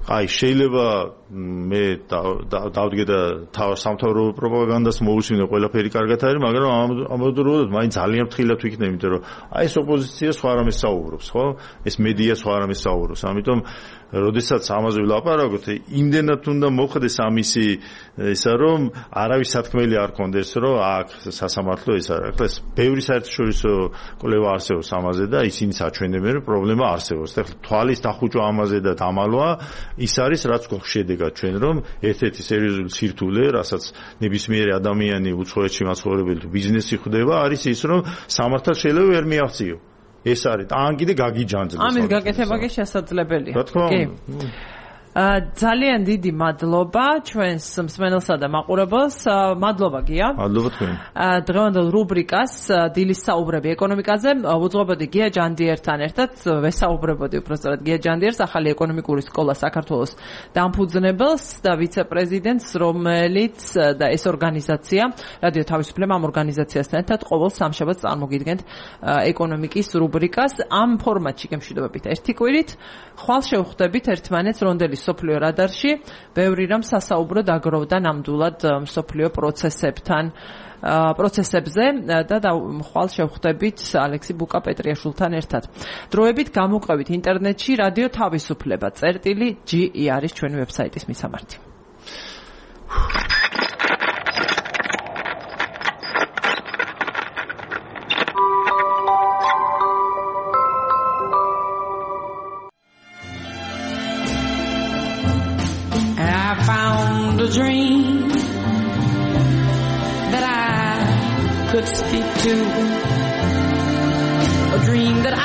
შეიძლება მე დავდგე და სამთავრობო პროპაგანდას მოусმინე, ყველაფერი კარგად არის, მაგრამ ამავდროულად მაინც ძალიან ფრთხილად ვიქნები, იმიტომ რომ ეს ოპოზიცია სხვა რამეს საუბრობს, ხო? ეს მედია სხვა რამეს საუბრობს. ამიტომ როდესაც ამაზე ვლაპარაკობთ, იმდენად უნდა მოხდეს ამისი ისა, რომ არავის სათქმელი არ კონდეს, რომ აქ სასამართლო ის არის. ახლა ბევრი საერთაშორისო კვლევა არსებობს ამაზე და ისინი საჩვენებენ, რომ პრობლემა არსებობს. ახლა თვალის დახუჭვა ამაზე და დამალვა ის არის, რაც გვაქვს შედეგად. შევდეგათ ჩვენ, რომ ერთ-ერთი სერიოზული სირთულე, რასაც ნებისმიერი ადამიანი უცხოეთში მაცხოვრებელი თუ ბიზნესი ხვდება, არის ის, რომ სამართალს შეიძლება ვერ მიაღწიო. ეს არის. ან კიდე გაგიჯანძლოს. ამის გაკეთება კი შესაძლებელია. რა თქმა უნდა. ძალიან დიდი მადლობა ჩვენს მსმენელსა და მაყურებელს. მადლობა გია. მადლობა თქვენ. დღევანდელ რუბრიკას დილის საუბრები ეკონომიკაზე უძღვებოდი გია ჯანდიერთან ერთად. ვესაუბრებოდი უბრალოდ გია ჯანდიერს, ახალი ეკონომიკური სკოლა საქართველოს დამფუძნებელს და ვიცე-პრეზიდენტს, რომელიც და ეს ორგანიზაცია, რადიო თავისუფლება ამ ორგანიზაციასთან ერთად ყოველ სამშაბათს წარმოგიდგენთ ეკონომიკის რუბრიკას ამ ფორმატში გემშვიდობებით ერთი კვირით. ხვალ შევხვდებით ერთმანეთს რონდელის სოფლიო რადარში, ბევრი რამ სასაუბრო დაგროვდა ნამდვილად სოფლიო პროცესებზე და ხვალ შევხვდებით ალექსი ბუკა-პეტრიაშვილთან ერთად. დროებით გამოყვებით ინტერნეტში რადიო თავისუფლება წერტილი.ge არის ჩვენი ვებსაიტის მისამართი. Dream that I could speak to, a dream that I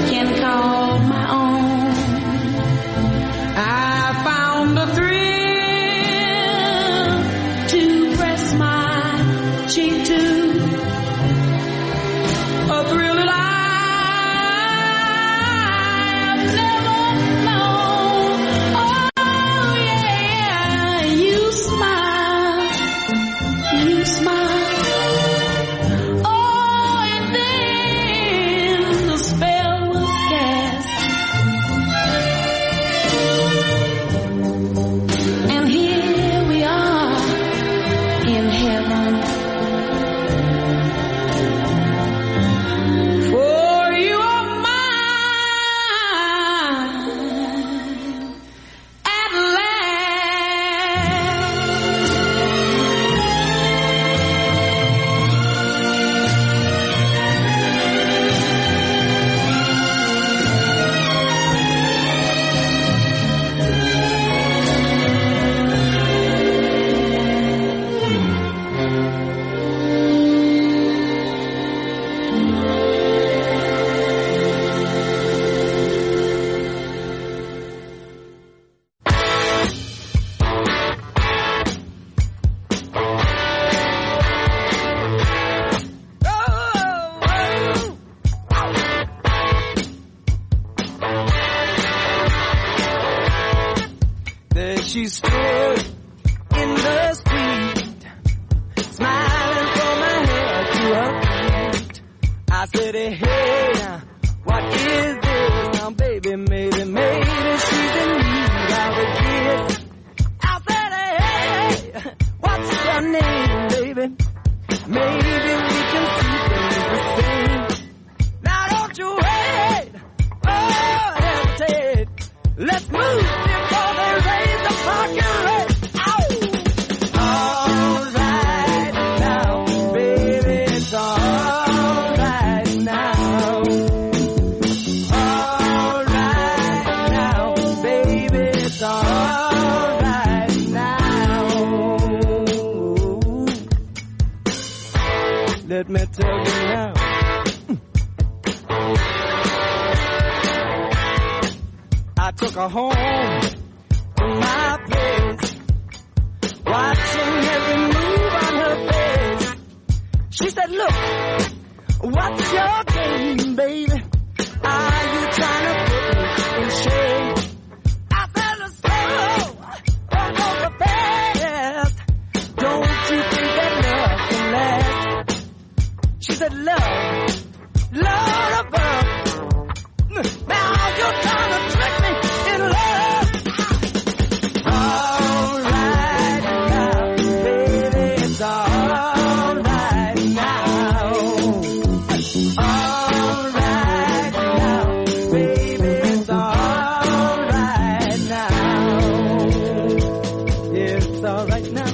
can call my own. I found a thrill to press my cheek to, a thrill that she stood in the street, smiling from her head to her feet. I said, hey, now, what is this? Now, baby, maybe she's in need of a kiss. I said, hey, what's your name, baby? Maybe we can see things the same. Now, don't you wait, hesitate. Let's move before they raise the parking rate. All right now, baby, it's all right now. All right now, baby, it's all right now. Let me tell you now. I took her home to my place, watching every move on her face. She said, look, what's your game, baby? Are you trying to put me in shame? I said, slow, don't go so fast. Don't you think that love can last? She said, love above. Now you're trying to trick me in love. All right now, baby, it's all right now. All right now, baby, it's all right now. Yeah, it's all right now.